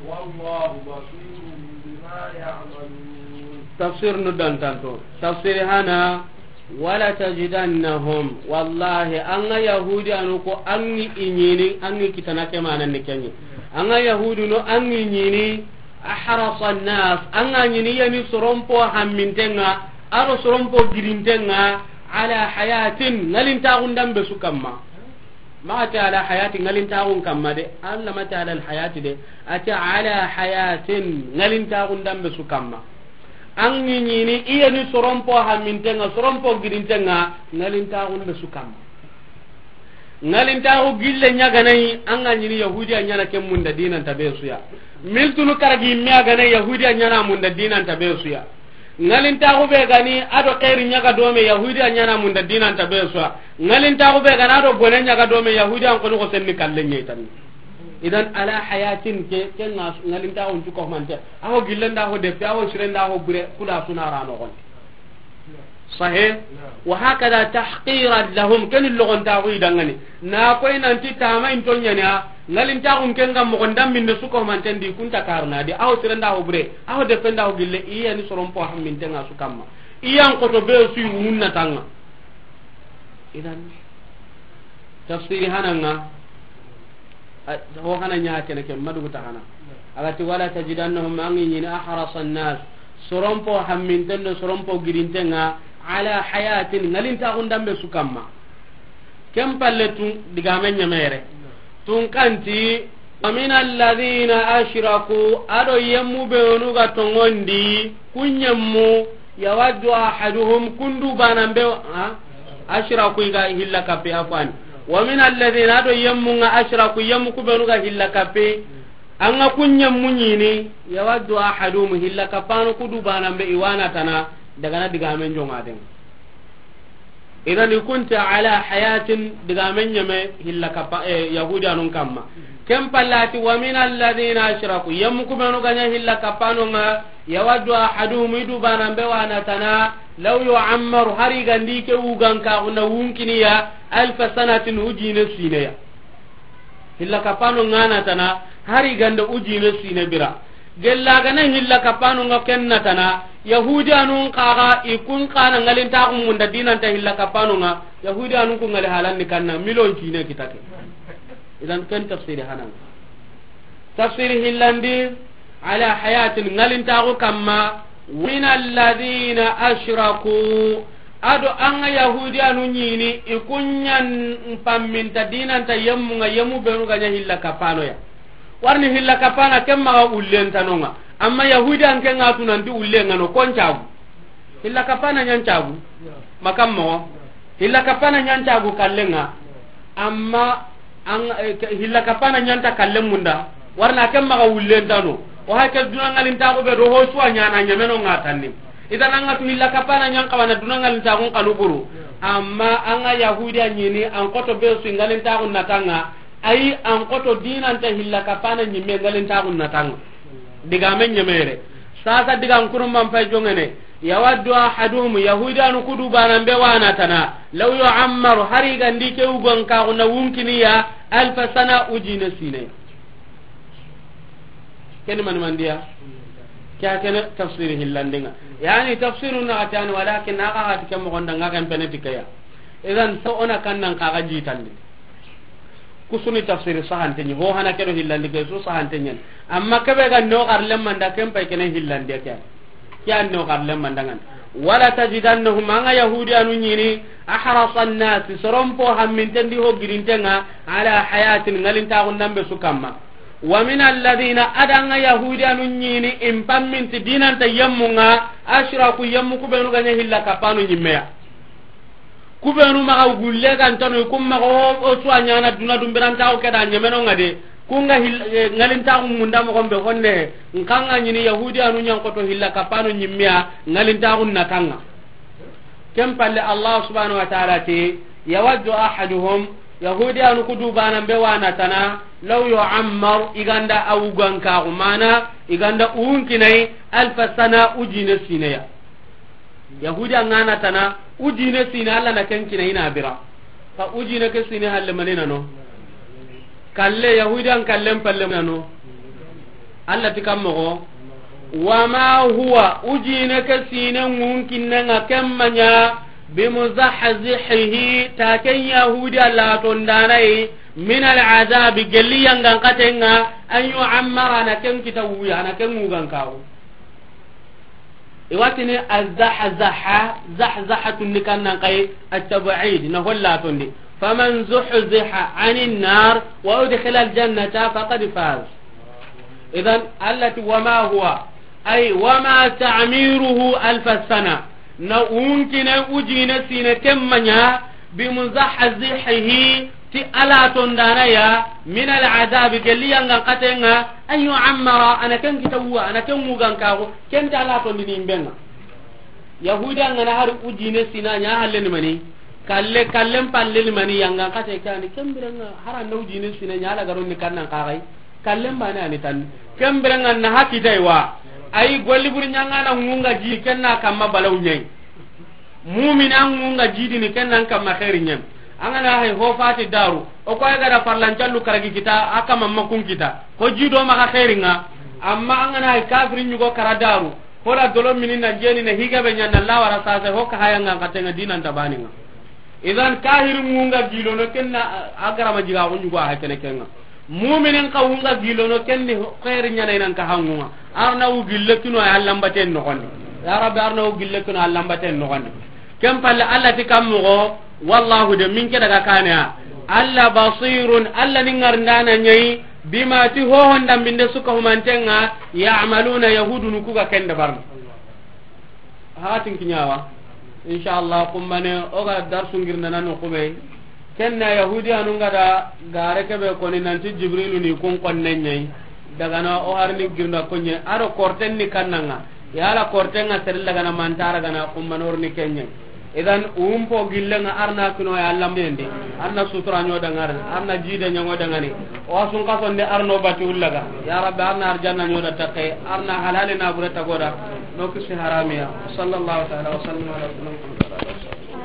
والله بصير بما يعملون. Tafsir nu dantanto. Tafsir hana, ولتجدنهم. Wallahi, an ga Yahudi anu ko an gi inyini, an gi kitana ke manan ni kenyi. An ga Yahudi no an gi nyini, أحرص الناس. An ga nyini yani sorompo hammintenga, aro sorompo girintenga, على حياة, ngalintaxun dambe su kamma. Ma ati على حياة, ngalintaxun kamma de. Alla ma ati على الحياة de. Ati على حياة, ngalintaxun dambe su kamma. An gi nyini iyani sorompo hammintenga, sorompo girintenga, ngalintaxun be su kamma. Ngalintaxu gille ɲaganayi, an ga nyini Yahudiya ɲana ke munda dinanta be suya. Miltunu karagi me a ganayi, Yahudiya ɲana munda dinanta be suya. Ngalintaxu be gani ado xeeri ɲaga dome, Yahudiya ɲana munda dinanta be suya. Ngalintaxu be gani ado bone ɲaga dome, Yahudiya an koni ko senni kalle ɲeytani. Idan على حياة ke, ke nga ngalintaxun cu ko mante. Aho gillenda ho deppe, aho sirenda ho bure, kuda suna rano gon. Sahe. وهكذا تحقيرا لهم, ken logontaxu idangani. Na koy nanti tama in toɲaniya, ngalintaxun ken ga mogon damminne su ko manten di kunta karna di, aho sirenda ho bure, aho deppenda ho gille, iya ni sorompo hammintenga su kamma. Iyan koto be su munna tanga. Idan tafsiri hananga, a, ho hana ɲa kene ke madugu ta hana. Agati ولتجدنهم, an gi nyini أحرص الناس, sorompo hamminten do sorompo girintenga, على حياة, ngalintaxun dambe su kamma. Ken palle tun, digame ɲemere. Tun kanti, wa min alladhina ashraku, ado yemmu benu ga tongondi, kun yemmu, yawaddu ahaduhum, kundu banan be, ha? Ashraku i ga hilla kappe, afwan. Wa min alladhina, ado yemmu nga ashraku, yemmu ku benu ga hilla kappe, an ga kun yemmu ɲini, yawaddu ahaduhum, hilla kappanu kudu banan be, i wa na tana, daga na digamen jonga den. Idan i kunta ala hayatin, digamen ɲeme hilla kappa, eh, Yahudiyanun kamma. Ken pallati, wa min alladhina ashraku, yemmu ku benu ga ɲa hilla kappanu nga, yawaddu ahaduhum, i du banan be wa na tana, law yu'ammaru, hari gandi ke wugan ka na wunkiniya, alfa sanatin, ujine sineya. Hilla kappanu nga na tana, hari ganda ujine sine bira. Gella gana hilla kappanu nga ken na tana, Yahudiyanun kaga i kun kana ngalintaxu munda dinanta hilla kappanu nga, Yahudiyanun ku ngali halanni kanna, miliyon cine kitake. Idan ken tafsiri hanan. Tafsiri hillandi, ala hayatin, ngalintaxu kamma, min alladhina ashraku, ado an ga Yahudiyanu ɲini, i kun ɲan pamminta dinanta yemmu nga, yemmu benu ga ɲa hilla kappanoya. Warni hilla kappana ken maga ullentanonga, amma Yahudiyan ken ga tunanti ullengano, kon cagu. Hilla kappana ɲan cagu. Makam mogo. Hilla kappana ɲan cagu kallenga. Amma an, eh, ke-, hilla kappana ɲanta kallen munda. Warna ken maga wullentano. O hake duna ngalintaxu be do ho suwa ɲana ɲameno nga tanni. Idan an ga tu hilla kappana ɲan kawana duna ngalintaxun kanu buru. Amma an ga Yahudiya ɲini an koto be su ngalintaxun natanga. Ayi, an koto dinanta hilla kappana ɲimme ngalintaxun natanga. Digamen ɲemere. Sasa digan kurumban pay jongene. Yawaddu ahaduhum, Yahudiyanu kudu banan be wa na tana. Law yu'ammaru, hari gandi ke wugan kaxu na wunkiniya, alfa sana, ujine sine. Keni mani mandiya? Kya kene tafsiri hillandinga. Yani tafsiru na atani, walakin na ga hati ke mogonda nga ken pene tikeya. Idan so ona kannan kaga jitandi. Kusuni tafsiri sahanteɲi, ho hana kedo hillandi ke su sahanteɲen. Amma kebe ga no garlem manda ken pay kene hillandi ke. Kya no garlem manda ngan. Wala tajidannahum, an ga Yahudiyanu ɲini, ahrasa nnasi, soron po hammintendi ho girintenga, ala hayatin, ngalintaxun nambe su kamma. Wa min alladhina, ado an ga Yahudiyanu ɲini, in pamminti dinanta yemmu nga, ashraku, yemmu ku benu ga ɲa hilla kappanu ɲimmeya. Ku benu maga gulle gantano, kum maga o, o suwa ɲana duna dumbirantaxu keda ɲameno nga de. Kunga hil-, eh, ngalintaxu munda mogon be honne, nkanga ɲini Yahudiyanu ɲan koto hilla kappanu ɲimmeya, ngalintaxun natanga. Ken palle Allah subhanahu wa ta'ala ti, yawaddu ahaduhum, Yahudiyanu kudu banan be wa na tana, law yu'ammar, i ganda a wugan kaxu, mana i ganda uwunkinai, alfa sana, ujine sineya. Yahudiya nga na tana, ujine sine, Allah na ken kina i na bira. Ka ujine ke sine halle mani nano. Kalle, Yahudiyan kallen palle nano. Allah ti kam mogo. Wa ma huwa, ujine ke sine ngunkinne nga kemma ɲa, bimuzahzihihi, ta ken Yahudiya la tondanai, min al-azabi, gelli yangan katenga, an yu'ammara, na ken kita wuya, na ken wugan kawo. Iwatini azahzaha, zahzahatun ni kannan kai, at-tab'id, na holla tondi. Faman zuhziha anin nar wa udkhila al-jannata faqad faz. Idan, Allah ti, wa ma huwa, ay, wa ma ta'miruhu alfa sana. Na unkine ujine sine kemma ɲa, bimuzahzihihi, ti ala tondana ya, min al-azabi, gelli yangan katenga, an yu'ammara, ana ken kita wuwa, ana ken wugan kago, ken ta ala tondini imbenga. Yahuda ngana hari ujine sina ɲa halle ni mani, kalle, kallen palle ni mani, yangan kate kani, ken birenga, hara na ujine sina ɲa ala garon ni kannan kagai, kallen bane ani tan, ken birenga na hakita iwa, ayi golli buri ɲanga na ngunga ji, kenna kamma balaw ɲai. Mumina ngunga jidini, ken nan kamma xeeri ɲen. An gana hay ho fati daru, o ko ay gara farlan callu karagi kita, a kama makun kita. Ko jido maxa xeeri nga, amma an gana hay kafiri ɲugo kara daru, ko la dolo mini na jeni na higa be ɲan na lawara sase, ho ka haya nga katenga dinan tabani nga. Idan kahiri ngunga gilono kenna, a gara ma jiga ko ɲugo a kene kenga. Muminin ka wunga gilono kenni xeeri ɲana inan ka hangunga. Arna wu gille kino ay allambaten noxondi. Ya Rabbi, arna wu gille kino allambaten noxondi. Ken palle Allah ti kam moxo, Wallahu de, min ke daga kaneya. Alla basirun, Alla ni ŋarindana ɲayi, bima, ti hohon dambinde su ga humanten ŋa, ya'maluna, yahudunu ku ga ken dabarni. Haxatin kiɲawa. Inshallah, kumbane, o ga darsu ngirndana no kube. Ken na yahudiyanu ŋa da gare kebe koni nanti Jibrilu ni kun konne ɲayi. Dagana o harni girnda konye, aro korten ni kannanga. Yala korten ŋa sere lagana mantara gana kumbane o ri ni kenye. Idan, umpo gillenga arna kino ya Allah mende. Arna sutura ɲo dangare, arna jide ɲango dangane. O sun kaso nde arno bati ullaga. Ya Rabbi, arna arjanna ɲo da take, arna halale na bure tagoda. No kisi haramiya. Sallallahu ta'ala wa sallam ala Muhammad.